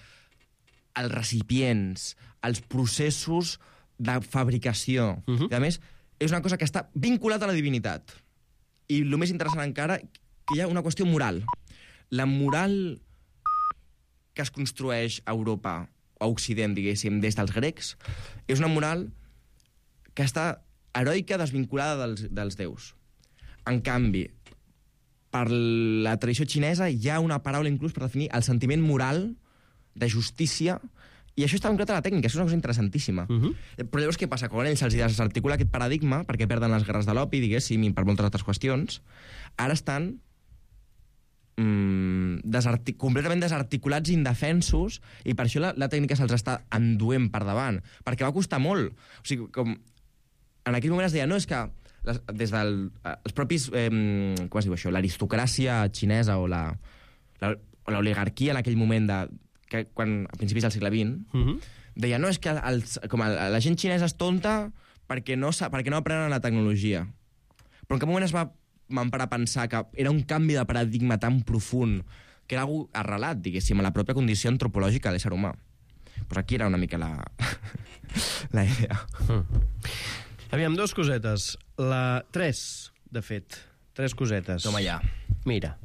els recipients, els processos de fabricació, uh-huh. i a més, és una cosa que està vinculada a la divinitat. I el més interessant encara, que hi ha una qüestió moral. La moral que es construeix a Europa, a Occident, diguéssim, des dels grecs, és una moral que està heroica desvinculada dels, dels déus. En canvi, per la tradició xinesa hi ha una paraula inclús per definir el sentiment moral de justícia, i això està vinculat a la tècnica, això és una cosa interessantíssima. Uh-huh. Però llavors què passa? Quan ells se'ls desarticula aquest paradigma, perquè perden les guerres de l'opi, diguéssim, i per moltes altres qüestions, ara estan mm, desartic completament desarticulats i indefensos, i per això la, la tècnica se'ls està enduent per davant, perquè va costar molt. O sigui, com en aquell moment es deia, no, és que les, des dels de, propis, eh, com es diu això, l'aristocràcia xinesa o la, la, o l'oligarquia en aquell moment de que quan, a principis del segle vint, uh-huh. deia, no, és que els, com a, la gent xinesa és tonta perquè no, perquè no aprenen la tecnologia. Però en cap moment es va parar a pensar que era un canvi de paradigma tan profund, que era algú arrelat, diguéssim, a la pròpia condició antropològica de l'ésser humà. Pues aquí era una mica la, la idea. Mm. Aviam, dos cosetes. La... Tres, de fet. Tres cosetes. Toma ja. Mira.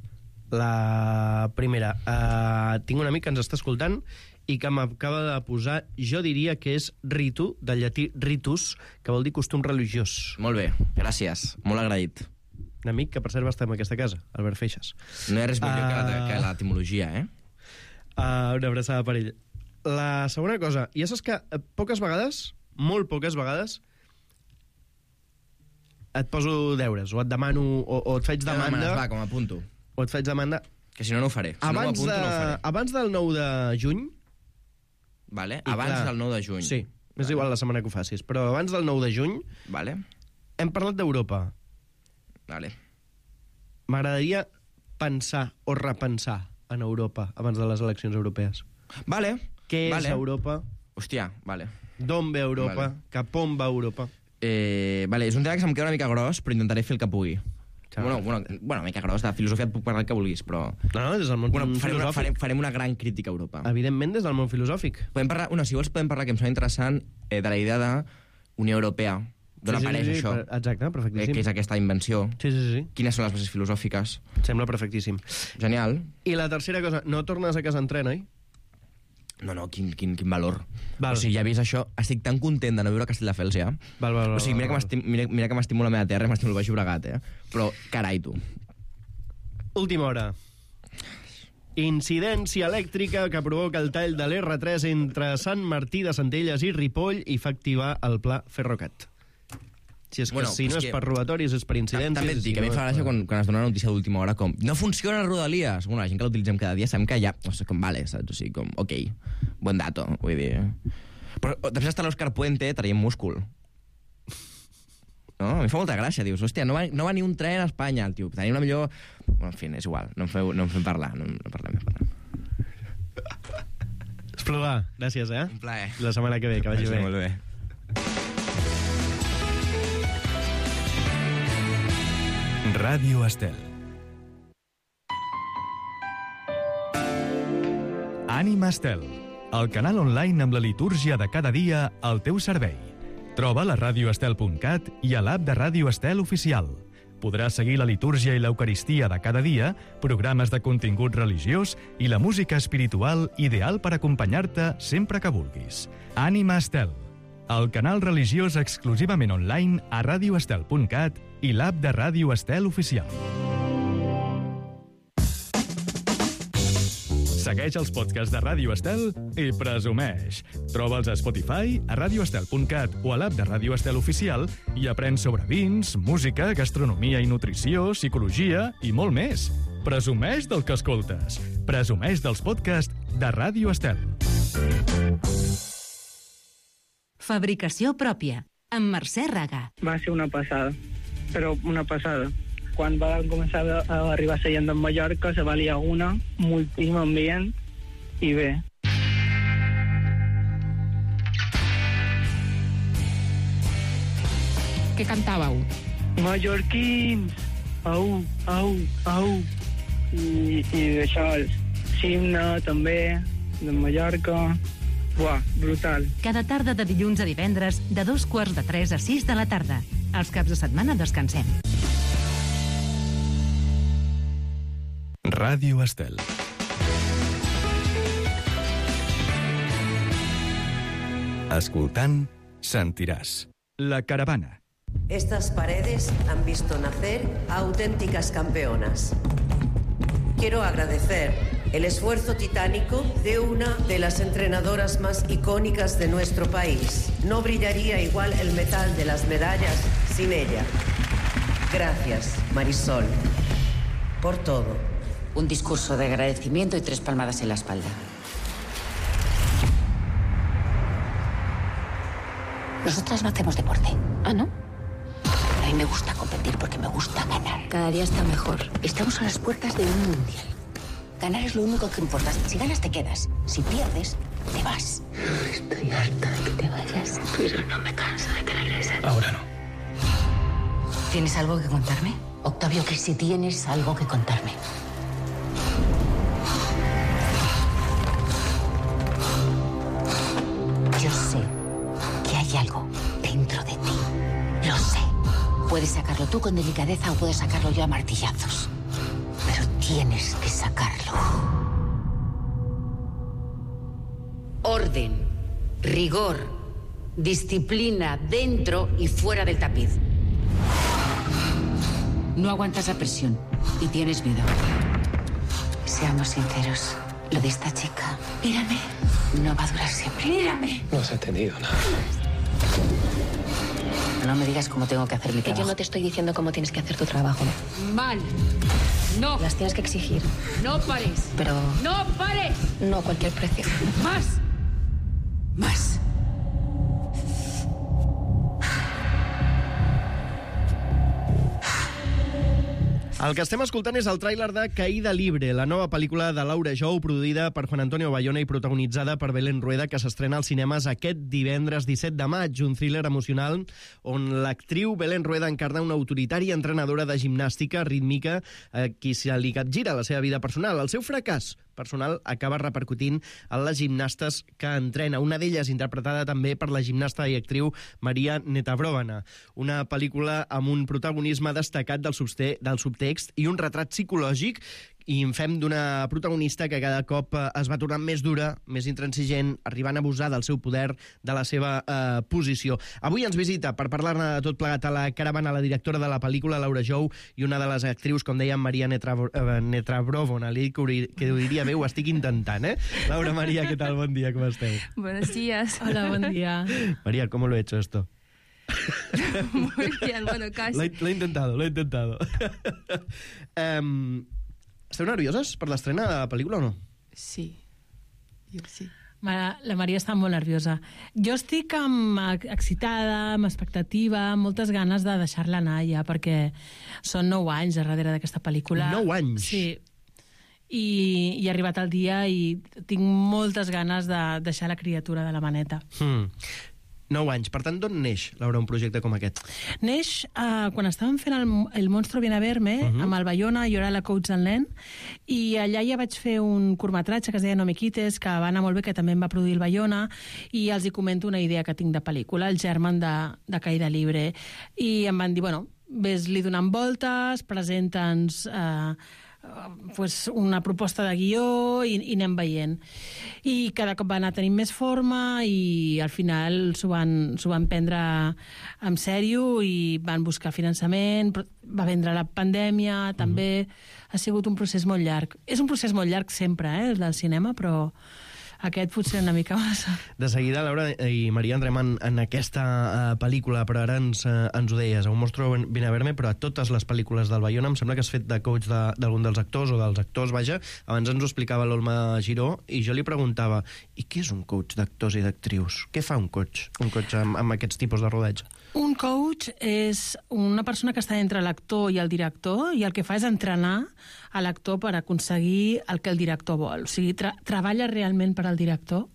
La primera, uh, tinc un amic que ens està escoltant i que m'acaba de posar, jo diria que és ritu, del llatí ritus, que vol dir costum religiós. Molt bé, gràcies, molt agraït. Un amic que per cert va estar en aquesta casa, Albert Feixas. No hi ha res millor uh... que, que l'etimologia, eh? Uh, una abraçada per ell. La segona cosa, ja saps que poques vegades, molt poques vegades, et poso deures, o et demano, o, o et faig demanda... Demanes, va, com a punto. O et faig demanda... Que si no, no ho faré. Si abans, no m'apunto, de... no ho faré. abans del nou de juny... Vale, abans clar, del nou de juny. Sí, vale. És igual la setmana que ho facis, però abans del nou de juny... Vale. Hem parlat d'Europa. Vale. M'agradaria pensar o repensar en Europa abans de les eleccions europees. Vale. Què vale. és Europa? Hòstia, vale. D'on ve Europa? Vale. Cap on va Europa? Eh, vale, és un tema que se'm queda una mica gros, però intentaré fer el que pugui. Bueno, bueno, bueno, una mica gros, de filosofia et puc parlar el que vulguis, però... No, no, des del món bueno, farem, una, filosòfic. farem, farem una gran crítica a Europa. Evidentment, des del món filosòfic. Podem parlar, bueno, si vols podem parlar, que em sembla interessant, eh, de la idea de Unió Europea, d'on sí, sí, apareix sí, això. Exacte, perfectíssim. Eh, que és aquesta invenció. Sí, sí, sí. Quines són les bases filosòfiques. Sembla perfectíssim. Genial. I la tercera cosa, no tornes a casa en tren, oi? No, no, quin, quin, quin valor. Val. O sigui, ja he vist això, estic tan content de no viure a Castelldefels, ja. Val, val, val, o sigui, mira que m'estimo mira, mira que m'estimo la meva terra i m'estimo el Baix Llobregat, eh? Però, carai, tu. Última hora. Incidència elèctrica que provoca el tall de l'erre tres entre Sant Martí de Centelles i Ripoll i fa activar el pla Ferrocat. Si és que bueno, si no és, és per robatoris, és per incidències... També et dic, si a mi no em fa gràcia quan, quan es dona una notícia d'última hora com no funciona Rodalies. Bueno, la gent que l'utilitzem cada dia sabem que ja... No sé, com vale, saps? O sigui, com, ok, buen dato, vull dir... Però després està l'Òscar Puente traient múscul. No? A mi fa molta gràcia, dius, hòstia, no va, no va ni un tren a Espanya, el tio. Tenim una millor... Bueno, en fi, és igual, no em feu, no em fem parlar, no, no parlem, no parlem. Esplodà, gràcies, eh? Un plaer. La setmana que ve, que vagi bé. Molt bé. Ràdio Estel. Ànima Estel, el canal online amb la litúrgia de cada dia al teu servei. Troba la ràdio estel punt cat i a l'app de Ràdio Estel oficial. Podràs seguir la litúrgia i l'eucaristia de cada dia, programes de contingut religiós i la música espiritual ideal per acompanyar-te sempre que vulguis. Ànima Estel, el canal religiós exclusivament online a ràdio estel punt cat i l'app de Ràdio Estel oficial. Segueix els podcasts de Ràdio Estel i presumeix. Troba'ls a Spotify, a ràdio estel punt cat o a l'app de Ràdio Estel oficial i aprèn sobre vins, música, gastronomia i nutrició, psicologia i molt més. Presumeix del que escoltes. Presumeix dels podcasts de Ràdio Estel. Fabricació pròpia, amb Mercè Raga. Va ser una passada, però una passada. Quan va començar a arribar a Sallent de Mallorca, se va liar una, moltíssim ambient, i bé. Què cantàveu? Mallorquins, au, au, au. I, i això, Simna, també, de Mallorca. Buah, brutal. Cada tarda de dilluns a divendres, de dos quarts de tres a sis de la tarda. Els caps de setmana descansem. Ràdio Estel. Escoltant, sentiràs. La Caravana. Estas paredes han visto nacer a auténticas campeonas. Quiero agradecer el esfuerzo titánico de una de las entrenadoras más icónicas de nuestro país. No brillaría igual el metal de las medallas sin ella. Gracias, Marisol, por todo. Un discurso de agradecimiento y tres palmadas en la espalda. Nosotras no hacemos deporte. ¿Ah, no? A mí me gusta competir porque me gusta ganar. Cada día está mejor. Estamos a las puertas de un mundial. Ganar es lo único que importa. Si ganas, te quedas. Si pierdes, te vas. Estoy harta de que te vayas, pero no me canso de que regreses. Ahora no. ¿Tienes algo que contarme? Octavio, que si tienes algo que contarme. Yo sé que hay algo dentro de ti. Lo sé. Puedes sacarlo tú con delicadeza o puedes sacarlo yo a martillazos. Pero tienes que sacarlo. Orden, rigor, disciplina dentro y fuera del tapiz. No aguantas la presión y tienes miedo. Seamos sinceros, lo de esta chica, mírame, no va a durar siempre. Mírame. No has entendido nada. No me digas cómo tengo que hacer mi Que trabajo. yo no te estoy diciendo cómo tienes que hacer tu trabajo. Mal. No. Las tienes que exigir. No pares. Pero No pares. no a cualquier precio. Más. Más. El que estem escoltant és el tràiler de Caída Libre, la nova pel·lícula de Laura Jou, produïda per Juan Antonio Bayona i protagonitzada per Belén Rueda, que s'estrena als cinemes aquest divendres disset de maig, un thriller emocional on l'actriu Belén Rueda encarna una autoritària entrenadora de gimnàstica rítmica a qui se li capgira la seva vida personal. El seu fracàs personal acaba repercutint en les gimnastes que entrena, una d'elles interpretada també per la gimnasta i actriu Maria Netabrovana. Una pel·lícula amb un protagonisme destacat del, subte del subtext i un retrat psicològic i en fem d'una protagonista que cada cop es va tornant més dura, més intransigent, arribant a abusar del seu poder, de la seva eh, posició. Avui ens visita, per parlar-ne de tot plegat a la caravana, la directora de la pel·lícula, Laura Jou, i una de les actrius, com dèiem, Maria Netabrovana. Li dic que ho diria bé, ho estic intentant, eh? Laura, Maria, què tal? Bon dia, com esteu? Buenos días. Hola, buen día. María, ¿cómo lo he hecho esto? Muy bien, bueno, casi. Lo he, lo he intentado, lo he intentado. um, Esteu nervioses per l'estrena de la pel·lícula o no? Sí, jo sí. La Maria està molt nerviosa. Jo estic amb, excitada, amb expectativa, amb moltes ganes de deixar-la anar ja, perquè són nou anys darrere d'aquesta pel·lícula. Nou anys? Sí. I, i ha arribat el dia i tinc moltes ganes de deixar la criatura de la maneta. Hmm. Nou anys. Per tant, d'on neix, Laura, un projecte com aquest? Neix uh, quan estàvem fent el, el Monstro viene a verme, uh-huh. amb el Bayona, jo era la coach del nen, i allà ja vaig fer un curtmetratge que es deia No me quites, que va anar molt bé, que també em va produir el Bayona, i els hi comento una idea que tinc de pel·lícula, el germen de, de Caída Libre. I em van dir, bueno, ves-li donant voltes, presenta'ns eh, pues una proposta de guió i, i anem veient. I cada cop va anar tenint més forma i al final s'ho van, s'ho van prendre en sèrio i van buscar finançament, va vendre la pandèmia, també mm. ha sigut un procés molt llarg. És un procés molt llarg sempre, eh, el del cinema, però aquest potser una mica massa. De seguida, Laura i Maria, entrem en, en aquesta uh, pel·lícula, però ara ens, uh, ens ho deies, a Un Monstro viene a verme, però a totes les pel·lícules del Bayona em sembla que has fet de coach d'algun de, dels actors o dels actors, vaja. Abans ens ho explicava l'Olma Giró i jo li preguntava, i què és un coach d'actors i d'actrius? Què fa un coach? Un coach amb, amb aquests tipus de rodatge? Un coach és una persona que està entre l'actor i el director i el que fa és entrenar a l'actor per aconseguir el que el director vol. O sigui, tra treballa realment per al director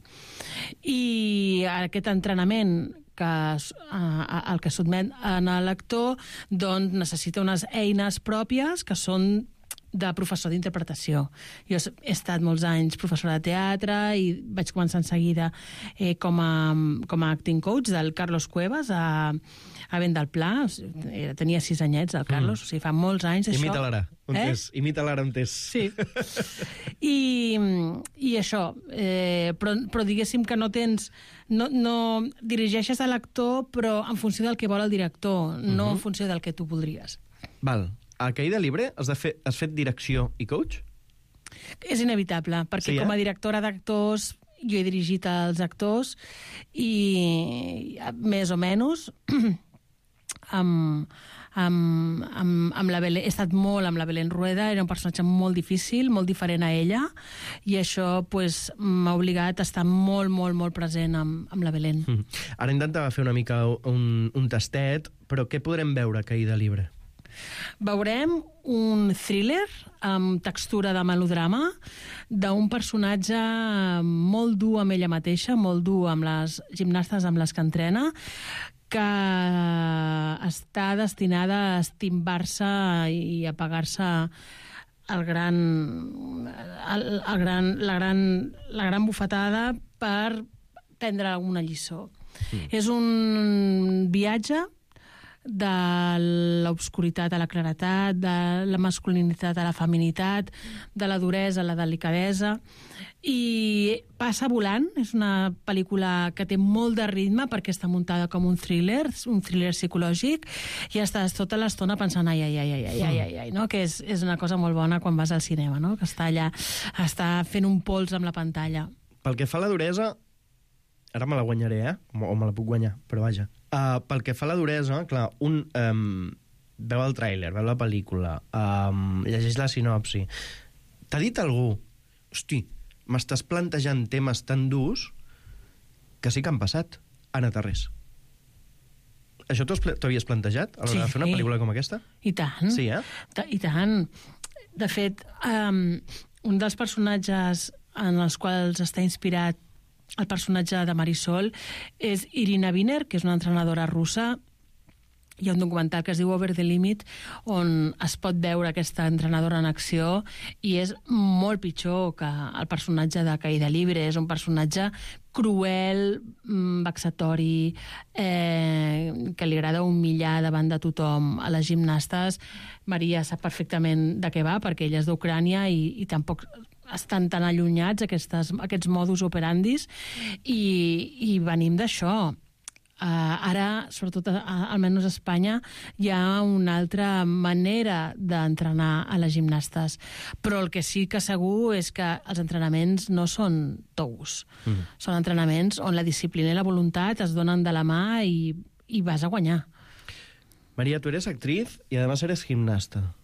i aquest entrenament que uh, el que sotmet a l'actor doncs necessita unes eines pròpies que són de professor d'interpretació. Jo he estat molts anys professora de teatre i vaig començar en seguida eh, com, a, com a acting coach del Carlos Cuevas a, a Vent del Pla. O sigui, tenia sis anyets, el Carlos, mm. o sigui, fa molts anys això. Imita l'ara, on eh? és. Imita l'ara on és. Sí. I, i això, eh, però, però diguéssim que no tens... No, no dirigeixes a l'actor, però en funció del que vol el director, mm-hmm. no en funció del que tu voldries. Val. A Caïda Libre has, de fer, has fet direcció i coach? És inevitable, perquè sí, eh? com a directora d'actors jo he dirigit els actors i més o menys amb, amb, amb, amb la Belén, he estat molt amb la Belén Rueda, era un personatge molt difícil, molt diferent a ella, i això pues, m'ha obligat a estar molt, molt, molt present amb, amb la Belén. Mm. Ara intentava fer una mica un, un tastet, però què podrem veure a Caïda Libre? Veurem un thriller amb textura de melodrama d'un personatge molt dur amb ella mateixa, molt dur amb les gimnastes amb les que entrena, que està destinada a estimbar-se i a pagar-se el gran, el, el gran, la, gran, la gran bufetada per prendre una lliçó. Mm. És un viatge de l'obscuritat a la claretat, de la masculinitat a la feminitat, de la duresa a la delicadesa, i passa volant. És una pel·lícula que té molt de ritme perquè està muntada com un thriller, un thriller psicològic, i estàs tota l'estona pensant ai, ai, ai, ai, ai, ai, ai, ai, no? Que és, és una cosa molt bona quan vas al cinema, no? Que està allà, està fent un pols amb la pantalla. Pel que fa a la duresa, ara me la guanyaré, eh? O me la puc guanyar, però vaja. Uh, pel que fa a la duresa, clar, un um, veu el tràiler, veu la pel·lícula, um, llegeix la sinopsi. T'ha dit algú, hosti, m'estàs plantejant temes tan durs que sí que han passat, Anna Tarrés. Això t'ho havies plantejat a l'hora sí. de fer una pel·lícula com aquesta? I tant. Sí, eh? I tant. De fet, um, un dels personatges en els quals està inspirat el personatge de Marisol és Irina Viner, que és una entrenadora russa. Hi ha un documental que es diu Over the Limit, on es pot veure aquesta entrenadora en acció, i és molt pitjor que el personatge de Caïda Libre. És un personatge cruel, vexatori, eh, que li agrada humillar davant de tothom a les gimnastes. Maria sap perfectament de què va, perquè ella és d'Ucrània i, i tampoc estan tan allunyats aquestes, aquests modus operandis, i, i venim d'això. Uh, ara, sobretot, uh, almenys a Espanya, hi ha una altra manera d'entrenar a les gimnastes. Però el que sí que segur és que els entrenaments no són tous. Mm. Són entrenaments on la disciplina i la voluntat es donen de la mà i, i vas a guanyar. María, tú eres actriz y además eres gimnasta.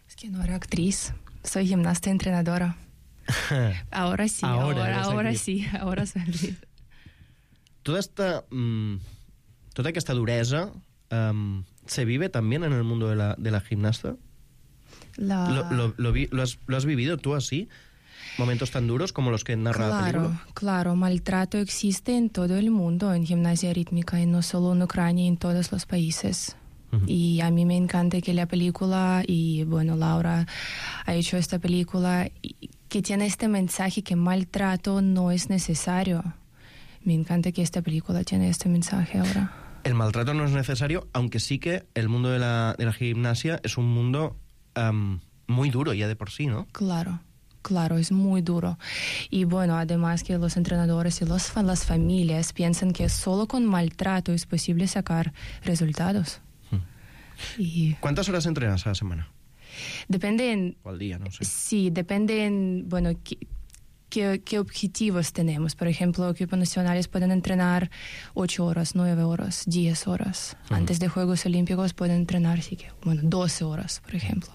Es que no era actriz, soy gimnasta entrenadora. Ahora sí, ahora, ahora, ahora sí, ahora soy actriz. Toda esta, mmm, toda esta dureza um, se vive también en el mundo de la, de la gimnasta. La... ¿Lo, lo, lo, vi, lo, has, ¿Lo has vivido tú así? ¿Momentos tan duros como los que narra claro, la película? Claro, maltrato existe en todo el mundo en gimnasia rítmica, y no solo en Ucrania, en todos los países. Uh-huh. Y a mí me encanta que la película, y bueno, Laura ha hecho esta película que tiene este mensaje que maltrato no es necesario. Me encanta que esta película tiene este mensaje ahora. El maltrato no es necesario, aunque sí que el mundo de la, de la gimnasia es un mundo um, muy duro ya de por sí, ¿no? Claro, claro, es muy duro. Y bueno, además que los entrenadores y los, las familias piensan que solo con maltrato es posible sacar resultados. Hmm. Y... ¿Cuántas horas entrenas a la semana? Depende en... O al día, no sé. Sí, depende en, bueno, qué, qué, qué objetivos tenemos. Por ejemplo, equipos nacionales pueden entrenar ocho horas, nueve horas, diez horas. Uh-huh. Antes de Juegos Olímpicos pueden entrenar, sí que, bueno, doce horas, por ejemplo.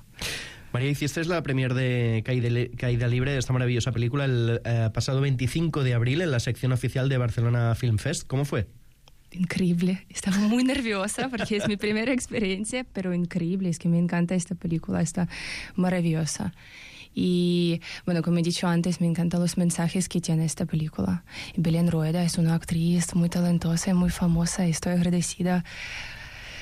María, hiciste la premier de Caída, Caída Libre, de esta maravillosa película, el eh, pasado veinticinco de abril en la sección oficial de Barcelona Film Fest. ¿Cómo fue? Increíble. Estaba muy nerviosa porque es mi primera experiencia, pero increíble. Es que me encanta esta película, está maravillosa. Y, bueno, como he dicho antes, me encantan los mensajes que tiene esta película. Y Belén Rueda es una actriz muy talentosa y muy famosa. Y estoy agradecida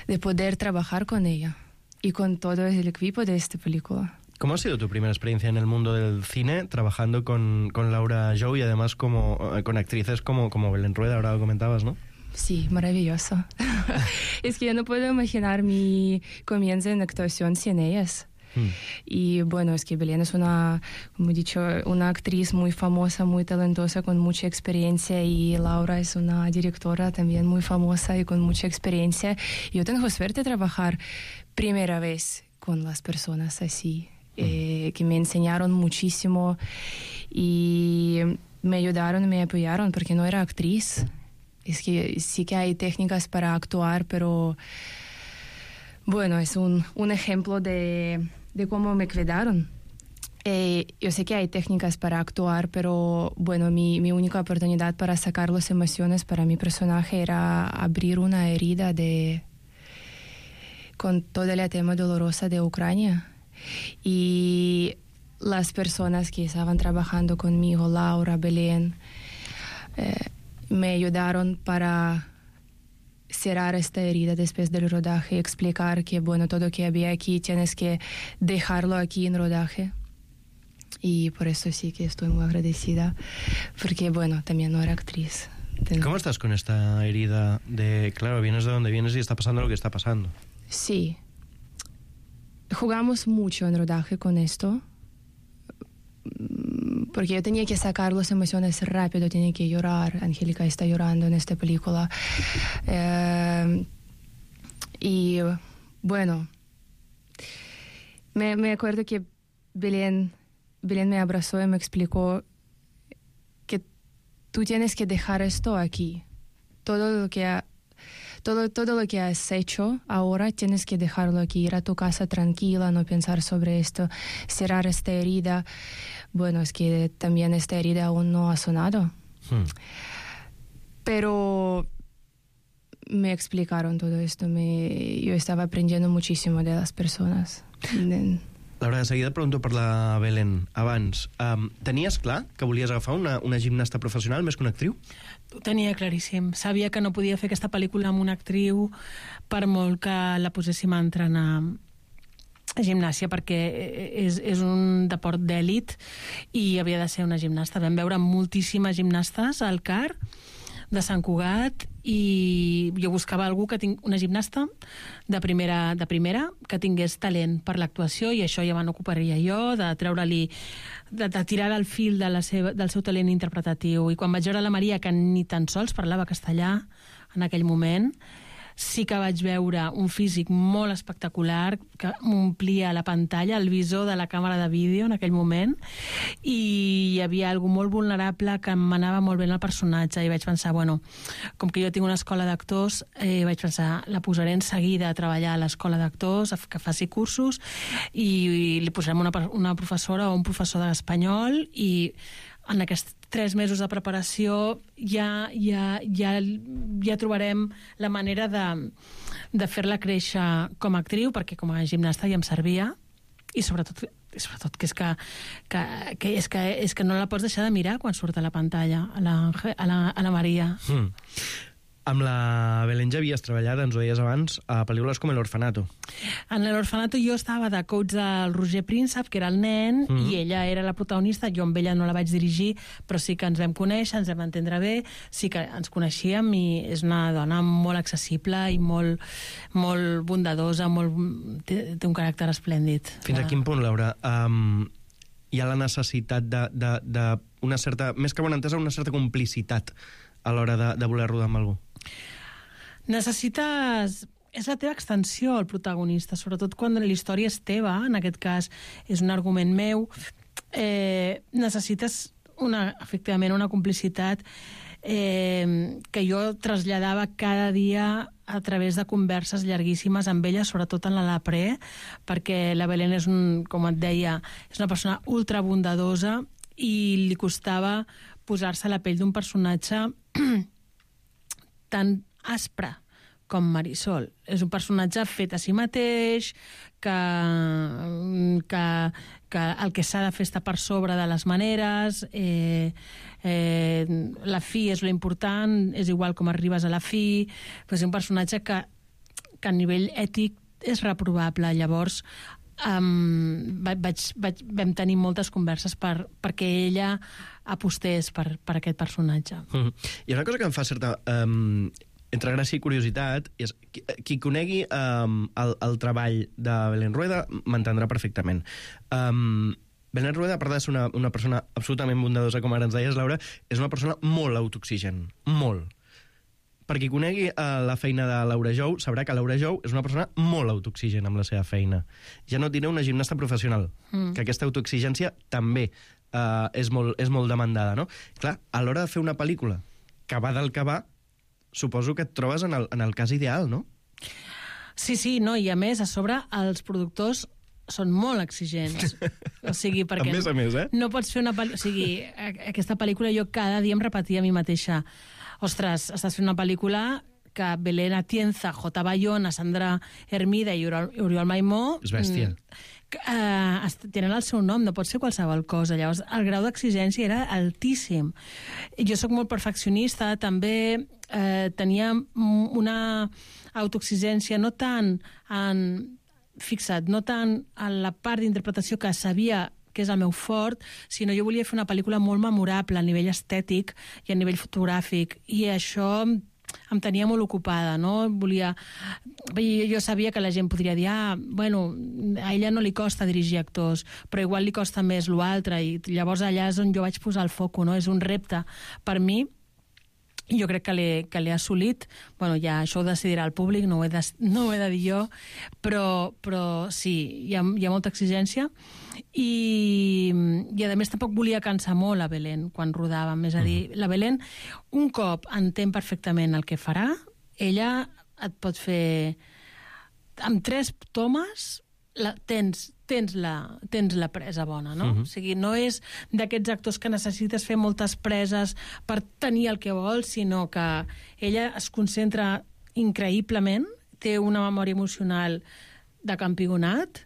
de poder trabajar con ella y con todo el equipo de esta película. ¿Cómo ha sido tu primera experiencia en el mundo del cine trabajando con, con Laura Jou y además como, con actrices como, como Belén Rueda, ahora lo comentabas, ¿no? Sí, maravilloso. Es que yo no puedo imaginar mi comienzo en actuación sin ellas. Hmm. Y bueno, es que Belén es una, como he dicho, una actriz muy famosa, muy talentosa, con mucha experiencia, y Laura es una directora también muy famosa y con mucha experiencia. Y yo tengo suerte de trabajar primera vez con las personas así. Eh, que me enseñaron muchísimo y me ayudaron, me apoyaron, porque no era actriz. Es que sí que hay técnicas para actuar, pero bueno, es un, un ejemplo de, de cómo me cuidaron. Eh, yo sé que hay técnicas para actuar, pero bueno, mi, mi única oportunidad para sacar las emociones para mi personaje era abrir una herida de, con todo el tema dolorosa de Ucrania. Y las personas que estaban trabajando conmigo, Laura, Belén, eh, me ayudaron para cerrar esta herida después del rodaje, explicar que bueno, todo lo que había aquí tienes que dejarlo aquí en rodaje. Y por eso sí que estoy muy agradecida, porque bueno, también no era actriz. Ten... ¿Cómo estás con esta herida de, claro, vienes de donde vienes y está pasando lo que está pasando? Sí. Jugamos mucho en rodaje con esto, porque yo tenía que sacar las emociones rápido, tenía que llorar. Angélica está llorando en esta película. Eh, y bueno, me, me acuerdo que Belén, Belén me abrazó y me explicó que tú tienes que dejar esto aquí. Todo lo que ha Todo, todo lo que has hecho ahora tienes que dejarlo aquí, ir a tu casa tranquila, no pensar sobre esto, cerrar esta herida. Bueno, es que también esta herida aún no ha sonado. Hmm. Pero me explicaron todo esto, me, yo estaba aprendiendo muchísimo de las personas. De... Laura, de seguida pregunto per la Belén. Abans, um, tenies clar que volies agafar una, una gimnasta professional més que una actriu? Ho tenia claríssim. Sabia que no podia fer aquesta pel·lícula amb una actriu per molt que la poséssim a entrenar a gimnàsia, perquè és, és un deport d'èlit i havia de ser una gimnasta. Vam veure moltíssimes gimnastes al C A R de Sant Cugat i jo buscava algú que tinc una gimnasta de primera, de primera que tingués talent per l'actuació, i això ja me n'ocuparia jo, de treure-li, de, de tirar el fil de la seva, del seu talent interpretatiu. I quan vaig veure la Maria, que ni tan sols parlava castellà en aquell moment, sí que vaig veure un físic molt espectacular que m'omplia la pantalla, el visor de la càmera de vídeo en aquell moment, i hi havia algú molt vulnerable que m'anava molt bé en el personatge, i vaig pensar, bueno, com que jo tinc una escola d'actors, eh, vaig pensar, la posaré en seguida a treballar a l'escola d'actors, que faci cursos, i, i li posarem una, una professora o un professor d'espanyol, i en aquests tres mesos de preparació ja, ja, ja, ja trobarem la manera de, de fer-la créixer com a actriu, perquè com a gimnasta ja em servia, i sobretot, sobretot que, és que, que, que, és que, és que no la pots deixar de mirar quan surt a la pantalla, a la, a la, a la Maria. Mm. Amb la Belén ja havies treballat, ens ho deies abans, a pel·lícules com l'Orfanato. En l'Orfanato jo estava de coach del Roger Príncep, que era el nen, mm -hmm. i ella era la protagonista. Jo amb ella no la vaig dirigir, però sí que ens vam conèixer, ens vam entendre bé, sí que ens coneixíem, i és una dona molt accessible i molt, molt bondadosa, molt, té, té un caràcter esplèndid. Fins a quin punt, Laura, um, hi ha la necessitat de, de, de una certa, més que bona entesa, una certa complicitat a l'hora de, de voler rodar amb algú? Necessites... És la teva extensió, el protagonista, sobretot quan la història és teva, en aquest cas és un argument meu. Eh, necessites, una, efectivament, una complicitat eh, que jo traslladava cada dia a través de converses llarguíssimes amb ella, sobretot en la Lapré, perquè la Belén és, un, com et deia, és una persona ultra bondadosa, i li costava posar-se a la pell d'un personatge tan aspre com Marisol. És un personatge fet a si mateix, que, que, que el que s'ha de fer està per sobre de les maneres, eh, eh, la fi és lo important, és igual com arribes a la fi, però és un personatge que, que a nivell ètic és reprovable. Llavors, um, vaig, vaig, vam tenir moltes converses per, perquè ella apostés per, per aquest personatge. Mm-hmm. Hi ha una cosa que em fa certa... Um, entre gràcia i curiositat, és, qui, qui conegui um, el, el treball de Belén Rueda m'entendrà perfectament. Um, Belén Rueda, a part de ser una, una persona absolutament bondadosa, com ara ens deies, Laura, és una persona molt autooxigen. Molt. Per qui conegui uh, la feina de Laura Jou, sabrà que Laura Jou és una persona molt autooxigen amb la seva feina. Ja no diré una gimnasta professional, mm. que aquesta autoexigència també uh, és, molt, és molt demandada, no? Clar, a l'hora de fer una pel·lícula que va del que va, suposo que et trobes en el, en el cas ideal, no? Sí, sí, no, i a més, a sobre, els productors són molt exigents. O sigui, perquè... A més a més, eh? No pots fer una pel·lícula... O sigui, aquesta pel·lícula jo cada dia em repetia a mi mateixa. Ostres, estàs fent una pel·lícula que Belén Atienza, J. Bayona, Sandra Hermida i Oriol Maimó... És bèstia. Uh, tenen el seu nom, no pot ser qualsevol cosa. Llavors, el grau d'exigència era altíssim. Jo sóc molt perfeccionista, també eh, tenia una autoexigència no tant en... Fixa't, no tant en la part d'interpretació que sabia que és el meu fort, sinó jo volia fer una pel·lícula molt memorable a nivell estètic i a nivell fotogràfic, i això em tenia molt ocupada, no? Volia... Jo sabia que la gent podria dir, ah, bueno, a ella no li costa dirigir actors, però igual li costa més l'altre, i llavors allà és on jo vaig posar el foco, no? És un repte per mi, i jo crec que l'he que l'he assolit. Bueno, ja això ho decidirà el públic, no ho he de, no ho he de dir jo, però, però sí, hi ha, hi ha molta exigència, i, i a més tampoc volia cansar molt a Belén quan rodàvem. És a dir, la Belén, un cop entén perfectament el que farà, ella et pot fer... Amb tres tomes la, tens, tens, la, tens la presa bona, no? Uh-huh. O sigui, no és d'aquests actors que necessites fer moltes preses per tenir el que vols, sinó que ella es concentra increïblement, té una memòria emocional de campionat,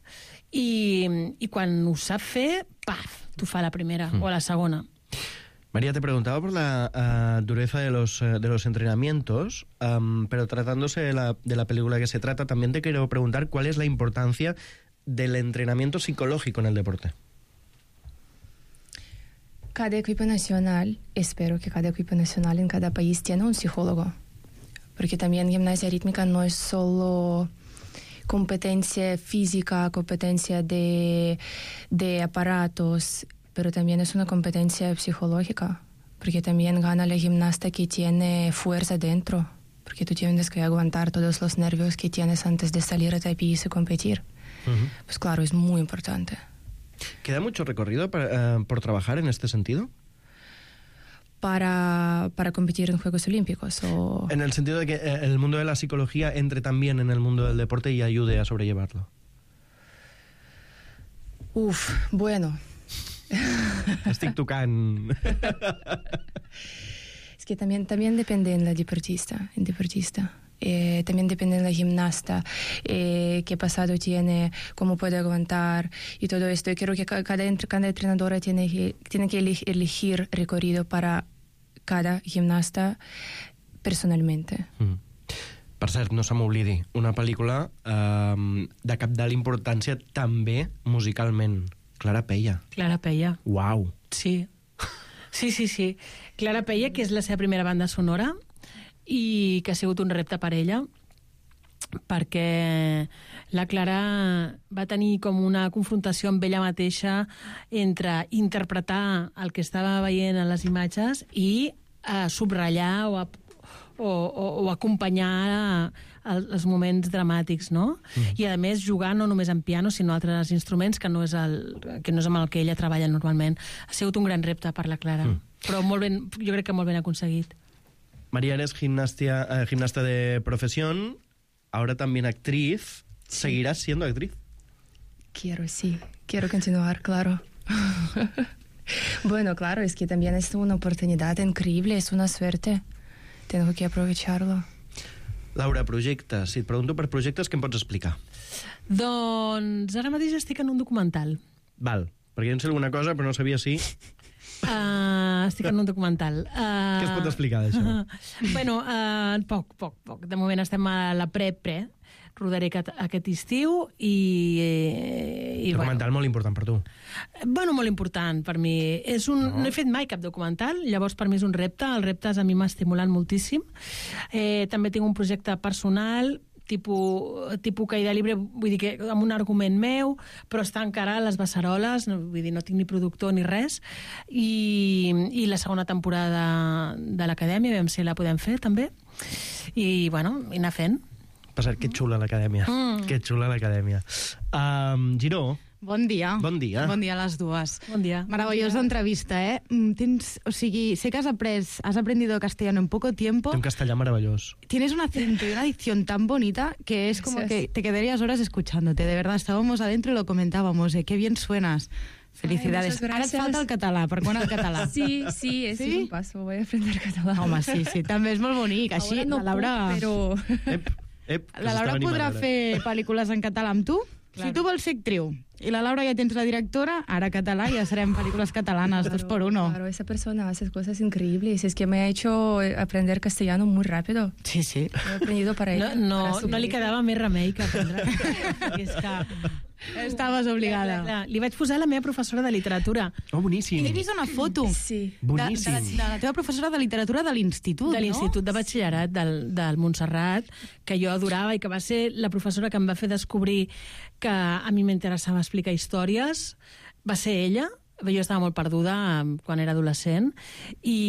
i, i quan ho sap fer, paf, t'ho fa la primera uh-huh. o la segona. María, te preguntaba por la uh, dureza de los, uh, de los entrenamientos, um, pero tratándose de la, de la película que se trata, también te quiero preguntar cuál es la importancia del entrenamiento psicológico en el deporte. Cada equipo nacional, espero que cada equipo nacional en cada país tiene un psicólogo, porque también gimnasia rítmica no es solo competencia física, competencia de, de aparatos, pero también es una competencia psicológica, porque también gana la gimnasta que tiene fuerza dentro, porque tú tienes que aguantar todos los nervios que tienes antes de salir a tapiz y competir. Uh-huh. Pues claro, es muy importante. ¿Queda mucho recorrido para, uh, por trabajar en este sentido? Para, para competir en Juegos Olímpicos. O... En el sentido de que eh, el mundo de la psicología entre también en el mundo del deporte y ayude a sobrellevarlo. Uf, bueno... Estic tocant. Es que también, también depende en la deportista, en deportista. Eh, también depende de la gimnasta, eh, qué pasado tiene, cómo puede aguantar y todo esto. Y creo que cada, cada entrenadora tiene que, tiene que elegir recorrido para cada gimnasta personalmente. Mm. Per cert, no se m'oblidi, una pel·lícula eh, de cabdal importància també musicalment. Clara Peia. Clara Peia. Uau. Sí. Sí, sí, sí. Clara Peia, que és la seva primera banda sonora i que ha sigut un repte per ella, perquè la Clara va tenir com una confrontació amb ella mateixa entre interpretar el que estava veient en les imatges i eh, subratllar o, o, o, o acompanyar els moments dramàtics, no? Mm. I a més jugar no només en piano, sinó altres instruments que no és, el, que no és amb el que ella treballa normalment. Ha sigut un gran repte per la Clara, mm. però molt ben, jo crec que molt ben aconseguit. María, eres gimnastia, eh, gimnasta de profesión, ahora también actriz. Sí. ¿Seguirás siendo actriz? Quiero, sí. Quiero continuar, claro. Bueno, claro, es que también es una oportunidad increíble, es una suerte. Tengo que aprovecharlo. Laura, projectes. Si et pregunto per projectes, què em pots explicar? Doncs ara mateix estic en un documental. Val, perquè jo en sé alguna cosa, però no sabia si... Uh, estic en un documental. Uh, què es pot explicar d'això? Uh, bueno, uh, poc, poc, poc. De moment estem a la pre-pre, rodaré aquest, aquest estiu i... Eh, i documental bueno, molt important per tu. Bueno, molt important per mi. És un, no. no he fet mai cap documental, llavors per mi és un repte. Els reptes a mi m'ha estimulat moltíssim. Eh, també tinc un projecte personal tipus, tipus caïda libre, vull dir que amb un argument meu, però està encara a les beceroles, no, vull dir, no tinc ni productor ni res, i, i la segona temporada de l'Acadèmia, veiem si la podem fer també, i bueno, i anar fent. Passat, que xula l'Acadèmia, mm. que xula l'Acadèmia. Um, Giró, Bon dia. Bon dia. Bon dia a les dues. Bon dia. Maravillosa bon dia. Entrevista, eh? Tens, o sigui, sé que has après, has aprendido castellano en poco tiempo. Té un castellà meravellós. Tienes un acento y una dicción tan bonita que es como que te quedarías horas escuchándote. De verdad, estábamos adentro y lo comentábamos. Eh? Qué bien suenas. Felicidades. Ay, Ara et falta el català. Per quan el català? Sí, sí, es ¿Sí? un paso. Voy a aprender català. Home, sí, sí. També és molt bonic. Així, Ahora no la Laura... puc, però... Ep, ep, la Laura podrà fer pel·lícules en català amb tu? Claro. Si tu vols ser actriu i la Laura ja tens la directora, ara català, ja serem pel·lícules catalanes, claro, dos por uno. Claro, esa persona hace cosas increíbles. Es que me ha hecho aprender castellano muy rápido. Sí, sí. He aprendido para ella. No, no, no li quedava més remei que aprendre. És que... Estaves obligada. Clar, clar, li vaig posar la meva professora de literatura. Oh, boníssim. I he vist una foto sí. Boníssim. De, de, la, de la teva professora de literatura de l'institut, no? De l'institut de batxillerat del, del Montserrat, que jo adorava i que va ser la professora que em va fer descobrir que a mi m'interessava explicar històries. Va ser ella. Jo estava molt perduda quan era adolescent i,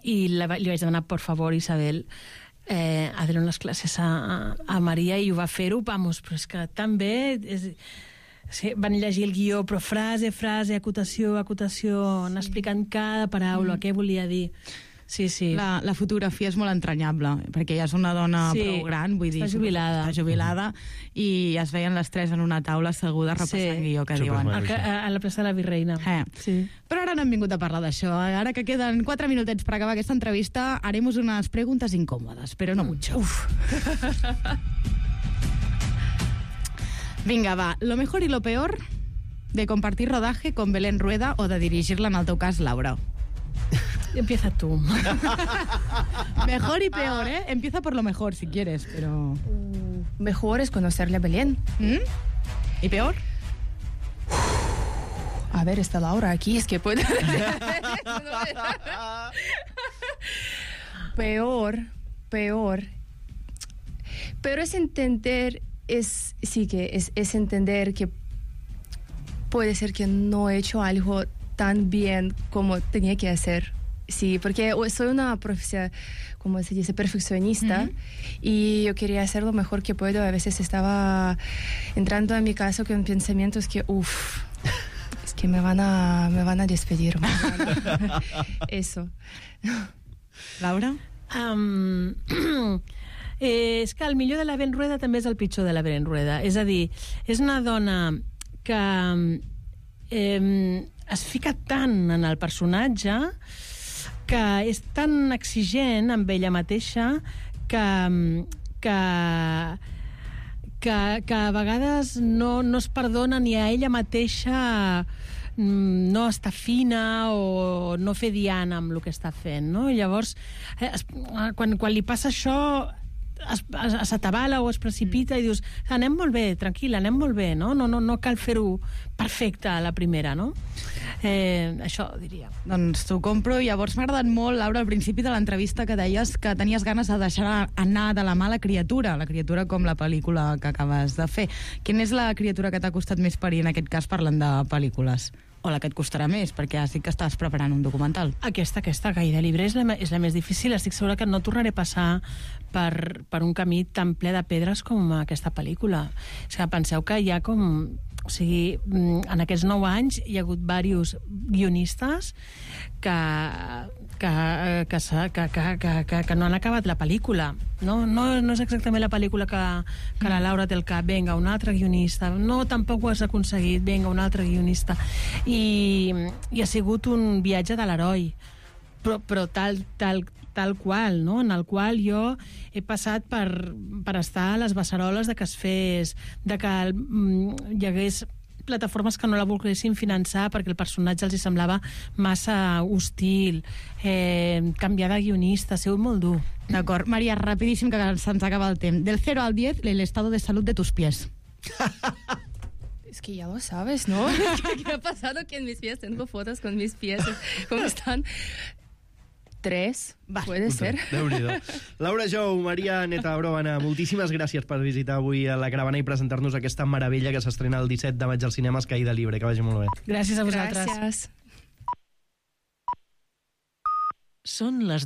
i la, li vaig demanar, por favor, Isabel, eh, a donar les classes a, a Maria, i ho va fer-ho, vamos, però és que tan bé... És, sí, van llegir el guió, però frase, frase, acotació, acotació, anar explicant cada paraula, mm. què volia dir. Sí, sí. La, la fotografia és molt entranyable, perquè ja és una dona sí, prou gran, vull dir... Està jubilada. Està jubilada, i es veien les tres en una taula assegudes repassant sí. guió, que Super diuen. A, a, a la plaça de la Virreina. Eh. Sí. Però ara no hem vingut a parlar d'això. Ara que queden quatre minutets per acabar aquesta entrevista, haremos unas preguntas incómodas, pero no mucho. Uf. Vinga, va. Lo mejor y lo peor de compartir rodaje con Belén Rueda o de dirigirla, en el teu cas, Laura. Empieza tú. Mejor y peor, ¿eh? Empieza por lo mejor, si quieres, pero... Uh, mejor es conocerle a Belén. ¿Mm? ¿Y peor? A ver, está Laura aquí, es que puede... Peor, peor. Pero es entender, es, sí que es, es entender que puede ser que no he hecho algo tan bien como tenía que hacer. Sí, porque soy una profesión, como se dice, perfeccionista, uh-huh. y yo quería hacer lo mejor que puedo. A veces estaba entrando en mi casa con pensamientos que, uff, es que me van a, me van a despedir. Eso. Laura? Um, eh, és que el millor de la Ben Rueda també és el pitjor de la Ben Rueda. És a dir, és una dona que eh, es fica tant en el personatge, que és tan exigent amb ella mateixa que, que, que, que a vegades no, no es perdona ni a ella mateixa no estar fina o no fer diana amb el que està fent, no? I llavors, eh, es, quan, quan li passa això, s'atabala o es precipita, mm. i dius, anem molt bé, tranquil·la, anem molt bé, no? No, no, no cal fer-ho perfecte a la primera, no? Eh, això diria. Doncs t'ho compro. Llavors m'ha agradat molt, Laura, al principi de l'entrevista que deies que tenies ganes de deixar anar de la mà la criatura, la criatura com la pel·lícula que acabes de fer. Quina és la criatura que t'ha costat més parir, en aquest cas parlant de pel·lícules? O la que et costarà més, perquè has dit que estàs preparant un documental. Aquesta, aquesta, Caïda Libre, és la, és la més difícil. Estic segura que no tornaré a passar per, per un camí tan ple de pedres com aquesta pel·lícula. És que penseu que hi ha com... O sigui, en aquests nou anys hi ha hagut diversos guionistes que, que, que, que, que, que, que no han acabat la pel·lícula. No, no, no és exactament la pel·lícula que, que la Laura té al cap. Vinga, un altre guionista. No, tampoc ho has aconseguit. Vinga, un altre guionista. I, i ha sigut un viatge de l'heroi. Però, però tal, tal, tal qual, no? En el qual jo he passat per, per estar a les beceroles de que es fes, de que mm, hi hagués plataformes que no la volguessin finançar perquè el personatge els hi semblava massa hostil, eh, canviar de guionista, ha sigut molt dur. D'acord. Maria, rapidíssim, que se'ns acaba el temps. Del cero al diez, el estado de salud de tus pies. Es que ya lo sabes, ¿no? ¿Qué ha pasado que en mis pies tengo fotos con mis pies? ¿Cómo están? Tres, puede ser. Déu-n'hi-do. Laura Jou, Maria Neta Bròvana, moltíssimes gràcies per visitar avui a la Caravana i presentar-nos aquesta meravella que s'estrena el disset de maig als cinemes, Caïda Libre. Que vagi molt bé. Gràcies a vosaltres. Gràcies. Són les